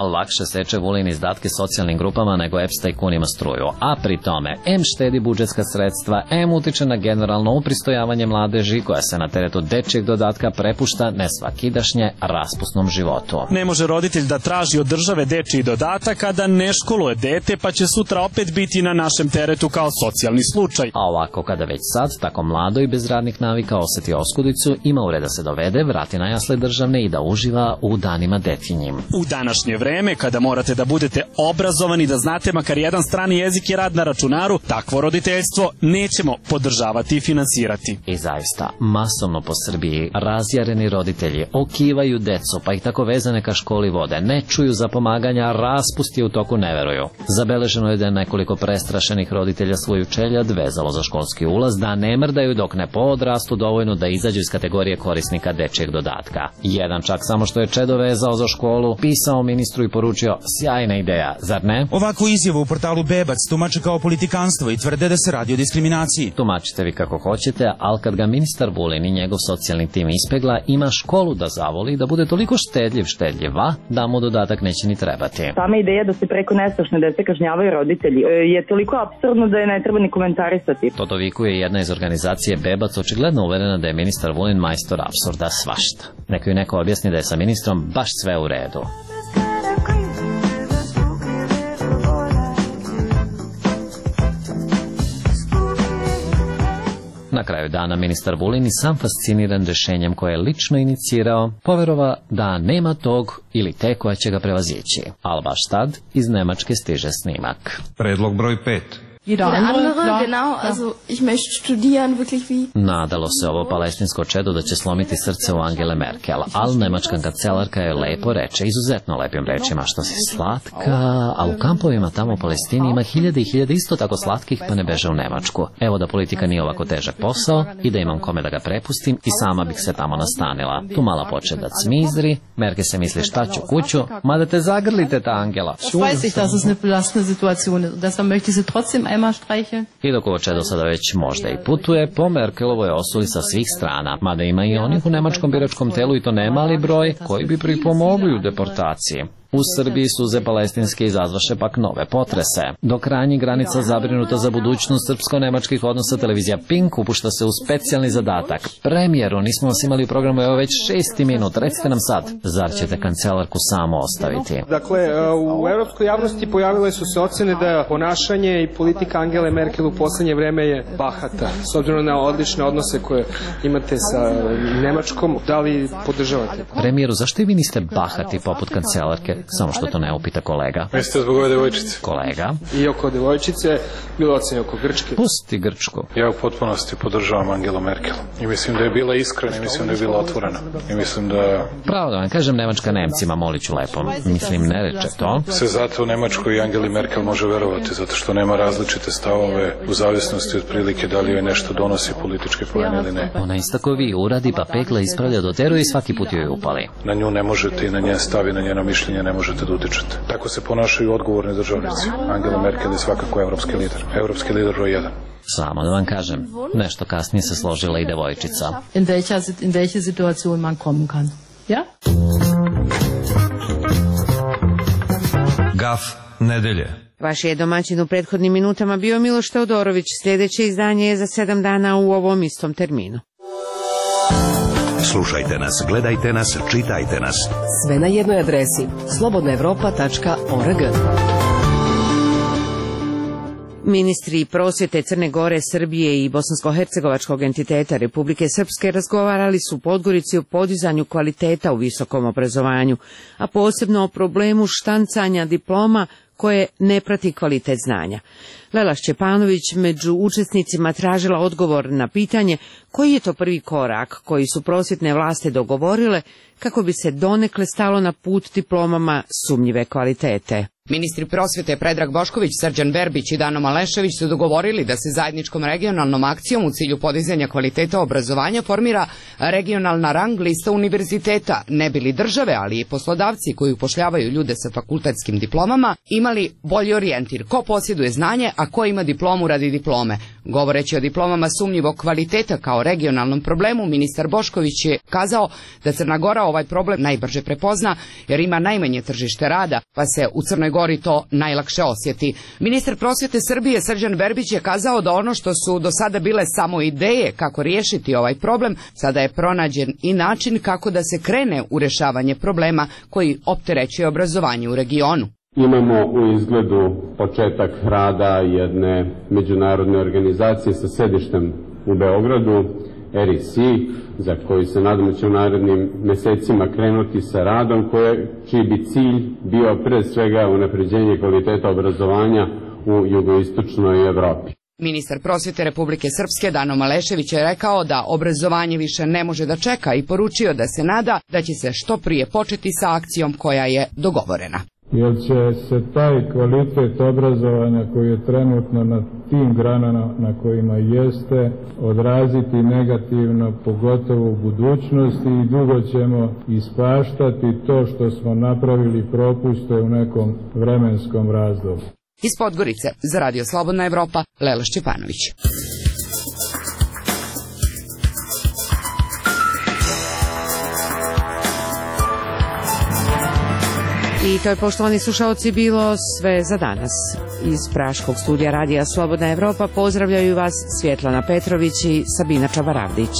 Speaker 18: lakše seče Vulin izdatke socijalnim grupama nego E P S tajkunima struju, a pri tome em štedi budžetska sredstva, em utiče na generalno upristojavanje mladeži koja se na teretu dečijeg dodatka prepušta nesvakidašnje raspusnom životu.
Speaker 1: Ne može roditelj da traži od države dečiji dodatak, a da ne školuje dete, pa će sutra opet biti na našem teretu kao socijalni slučaj.
Speaker 18: A ovako, kada već sad, tako mlado i bez radnih navika oseti oskudicu, ima ure da se dovede, vrati na jasle državne i da uživa u danima detinjim.
Speaker 1: U današnje vreme, kada morate da budete obrazovani, da znate makar jedan strani jezik i rad na računaru, takvo roditeljstvo nećemo podržavati i finansirati.
Speaker 18: I zaista, masovno po Srbiji razjareni roditelji okivaju decu, pa ih tako vezane ka školi vode, ne čuju za pomaganja, raspust je u toku, ne veruju. Zabeleženo je da je nekoliko prestrašenih roditelja svoju čeljad vezalo za školski ulaz, da ne mrdaju dok ne poodrastu dovoljno da izađu iz kategorije korisnika dečijeg dodatka. Jedan čak samo što je čedo vezao za školu, pisao ministru i poručio: sjajna ideja, zar ne?
Speaker 6: Ovakvu izjavu u portalu Bebac tumače kao politikanstvo i tvrde da se radi o diskriminaciji.
Speaker 18: Tumačite vi kako hoćete, ali kad ga ministar Vulin i njegov socijalni tim ispegla, ima školu da zavoli, da bude toliko štedljiv štedljiva, da mu dodatak neće ni trebati.
Speaker 7: Sama ideja da se preko nestašne dece kažnjavaju roditelji je toliko apsurdno da je ne treba ni komentarisati.
Speaker 18: To dovikuje jedna iz organizacije Bebac, očigledno uverena da je ministar Vulin majstor apsurda svašta. Neko ju neko objasni da je sa ministrom baš sve u redu. Na kraju dana ministar Vulin i sam fasciniran rešenjem koje je lično inicirao, poverova da nema tog ili te koja će ga prevazići. Ali baš tad iz Nemačke stiže snimak.
Speaker 17: Predlog broj pet.
Speaker 13: Jeder andere, genau, also ich möchte studieren, wirklich wie...
Speaker 18: Nadalo se ovo palestinsko čedo da će slomiti srce u Angele Merkel, ali nemačka kancelarka je lepo reče, izuzetno lepim rečima, što si slatka, a u kampovima tamo u Palestini ima hiljade i hiljade isto tako slatkih, pa ne beže u Nemačku. Evo da politika nije ovako težak posao i da imam kome da ga prepustim i sama bih se tamo nastanila. Tu mala poče da cmizri, Merkel se misli šta ću kuću, mada te zagrlite ta Angela.
Speaker 13: Das weiß ich, dass es eine belastende Situation ist, deshalb möchte ich sie trotzdem
Speaker 18: I dok ovo čedo sada već možda i putuje, po Merkelovoj osuli sa svih strana, mada ima i onih u nemačkom biračkom telu i to nemali broj koji bi pripomogli u deportaciji. U Srbiji suze palestinske izazvaše pak nove potrese. Do krajnjih granica zabrinuta za budućnost srpsko-nemačkih odnosa, televizija Pink upušta se u specijalni zadatak. Premijeru, nismo vas imali u programu, evo već šesti minut, recite nam sad, zar ćete kancelarku samo ostaviti?
Speaker 21: Dakle, u evropskoj javnosti pojavile su se ocene da ponašanje i politika Angele Merkel u poslednje vreme je bahata. S obzirom na odlične odnose koje imate sa Nemačkom, da li podržavate?
Speaker 18: Premijeru, zašto i vi niste bahati poput kancelarke? Samo što to ne upita kolega.
Speaker 21: Mislite zbog ove devojčice?
Speaker 18: Kolega.
Speaker 21: I oko devojčice, bilo ocene oko Grčke.
Speaker 18: Pusti Grčku.
Speaker 3: Ja u potpunosti podržavam Angelu Merkel. I mislim da je bila iskrena i mislim da je bila otvorena. I mislim da...
Speaker 18: Pravo da vam kažem, Nemačka Nemcima, moliću lepo. Mislim, ne reče to.
Speaker 3: Se zato u Nemačkoj i Angeli Merkel može verovati, zato što nema različite stavove u zavisnosti od prilike da li joj nešto donosi politički poen ili ne.
Speaker 18: Ona istako vi uradi, pa pekla ispravlja do teru i svaki put joj upali.
Speaker 3: Na nju ne možete i na njen stav i na njeno mišljenje ne možete da utičete. Tako se ponašaju odgovorni državnici. Angela Merkel je svakako evropski lider. Evropski lider broj jedan.
Speaker 18: Samo da vam kažem, nešto kasnije se složila i devojčica.
Speaker 13: In welcher, in welche Situation man kommen kann. Ja?
Speaker 17: Gaf nedelje.
Speaker 22: Vaš je domaćin u prethodnim minutama bio Miloš Teodorović. Sljedeće izdanje je za sedam dana u ovom istom terminu.
Speaker 24: Slušajte nas, gledajte nas, čitajte nas.
Speaker 27: Sve na jednoj adresi slobodna evropa tačka org.
Speaker 22: Ministri prosvjete Crne Gore, Srbije i bosansko-hercegovačkog entiteta Republike Srpske razgovarali su u Podgorici o podizanju kvaliteta u visokom obrazovanju, a posebno o problemu štancanja diploma koje ne prati kvalitet znanja. Lela Šćepanović među učesnicima tražila odgovor na pitanje koji je to prvi korak koji su prosvjetne vlasti dogovorile kako bi se donekle stalo na put diplomama sumnjive kvalitete.
Speaker 28: Ministri prosvjete Predrag Bošković, Srđan Verbić i Dano Malešević su dogovorili da se zajedničkom regionalnom akcijom u cilju podizanja kvaliteta obrazovanja formira regionalna rang lista univerziteta, ne bili države, ali i poslodavci koji upošljavaju ljude sa fakultetskim diplomama imali bolji orijentir ko posjeduje znanje, a ko ima diplomu radi diplome. Govoreći o diplomama sumnjivog kvaliteta kao regionalnom problemu, ministar Bošković je kazao da Crna Gora ovaj problem najbrže prepozna jer ima najmanje tržište rada, pa se u Crnoj Gori to najlakše osjeti. Ministar prosvjete Srbije Srđan Verbić je kazao da ono što su do sada bile samo ideje kako riješiti ovaj problem, sada je pronađen i način kako da se krene u rješavanje problema koji opterećuje obrazovanje u regionu.
Speaker 2: Imamo u izgledu početak rada jedne međunarodne organizacije sa sedištem u Beogradu, R I C, za koju se nadamo će u narednim mesecima krenuti sa radom, koje, čiji bi cilj bio pre svega unapređenje kvaliteta obrazovanja u jugoistočnoj Evropi.
Speaker 28: Ministar prosvjete Republike Srpske Dano Malešević je rekao da obrazovanje više ne može da čeka i poručio da se nada da će se što prije početi sa akcijom koja je dogovorena.
Speaker 4: Jer će se taj kvalitet obrazovanja koji je trenutno na tim granama na kojima jeste odraziti negativno, pogotovo u budućnosti, i dugo ćemo ispaštati to što smo napravili propuste u nekom vremenskom razdoblju.
Speaker 28: Iz Podgorice za Radio Slobodna Evropa, Lela Šćepanović.
Speaker 22: I to je, poštovani slušalci, bilo sve za danas. Iz Praškog studija Radija Slobodna Evropa pozdravljaju vas Svjetlana Petrović i Sabina Čabaravdić.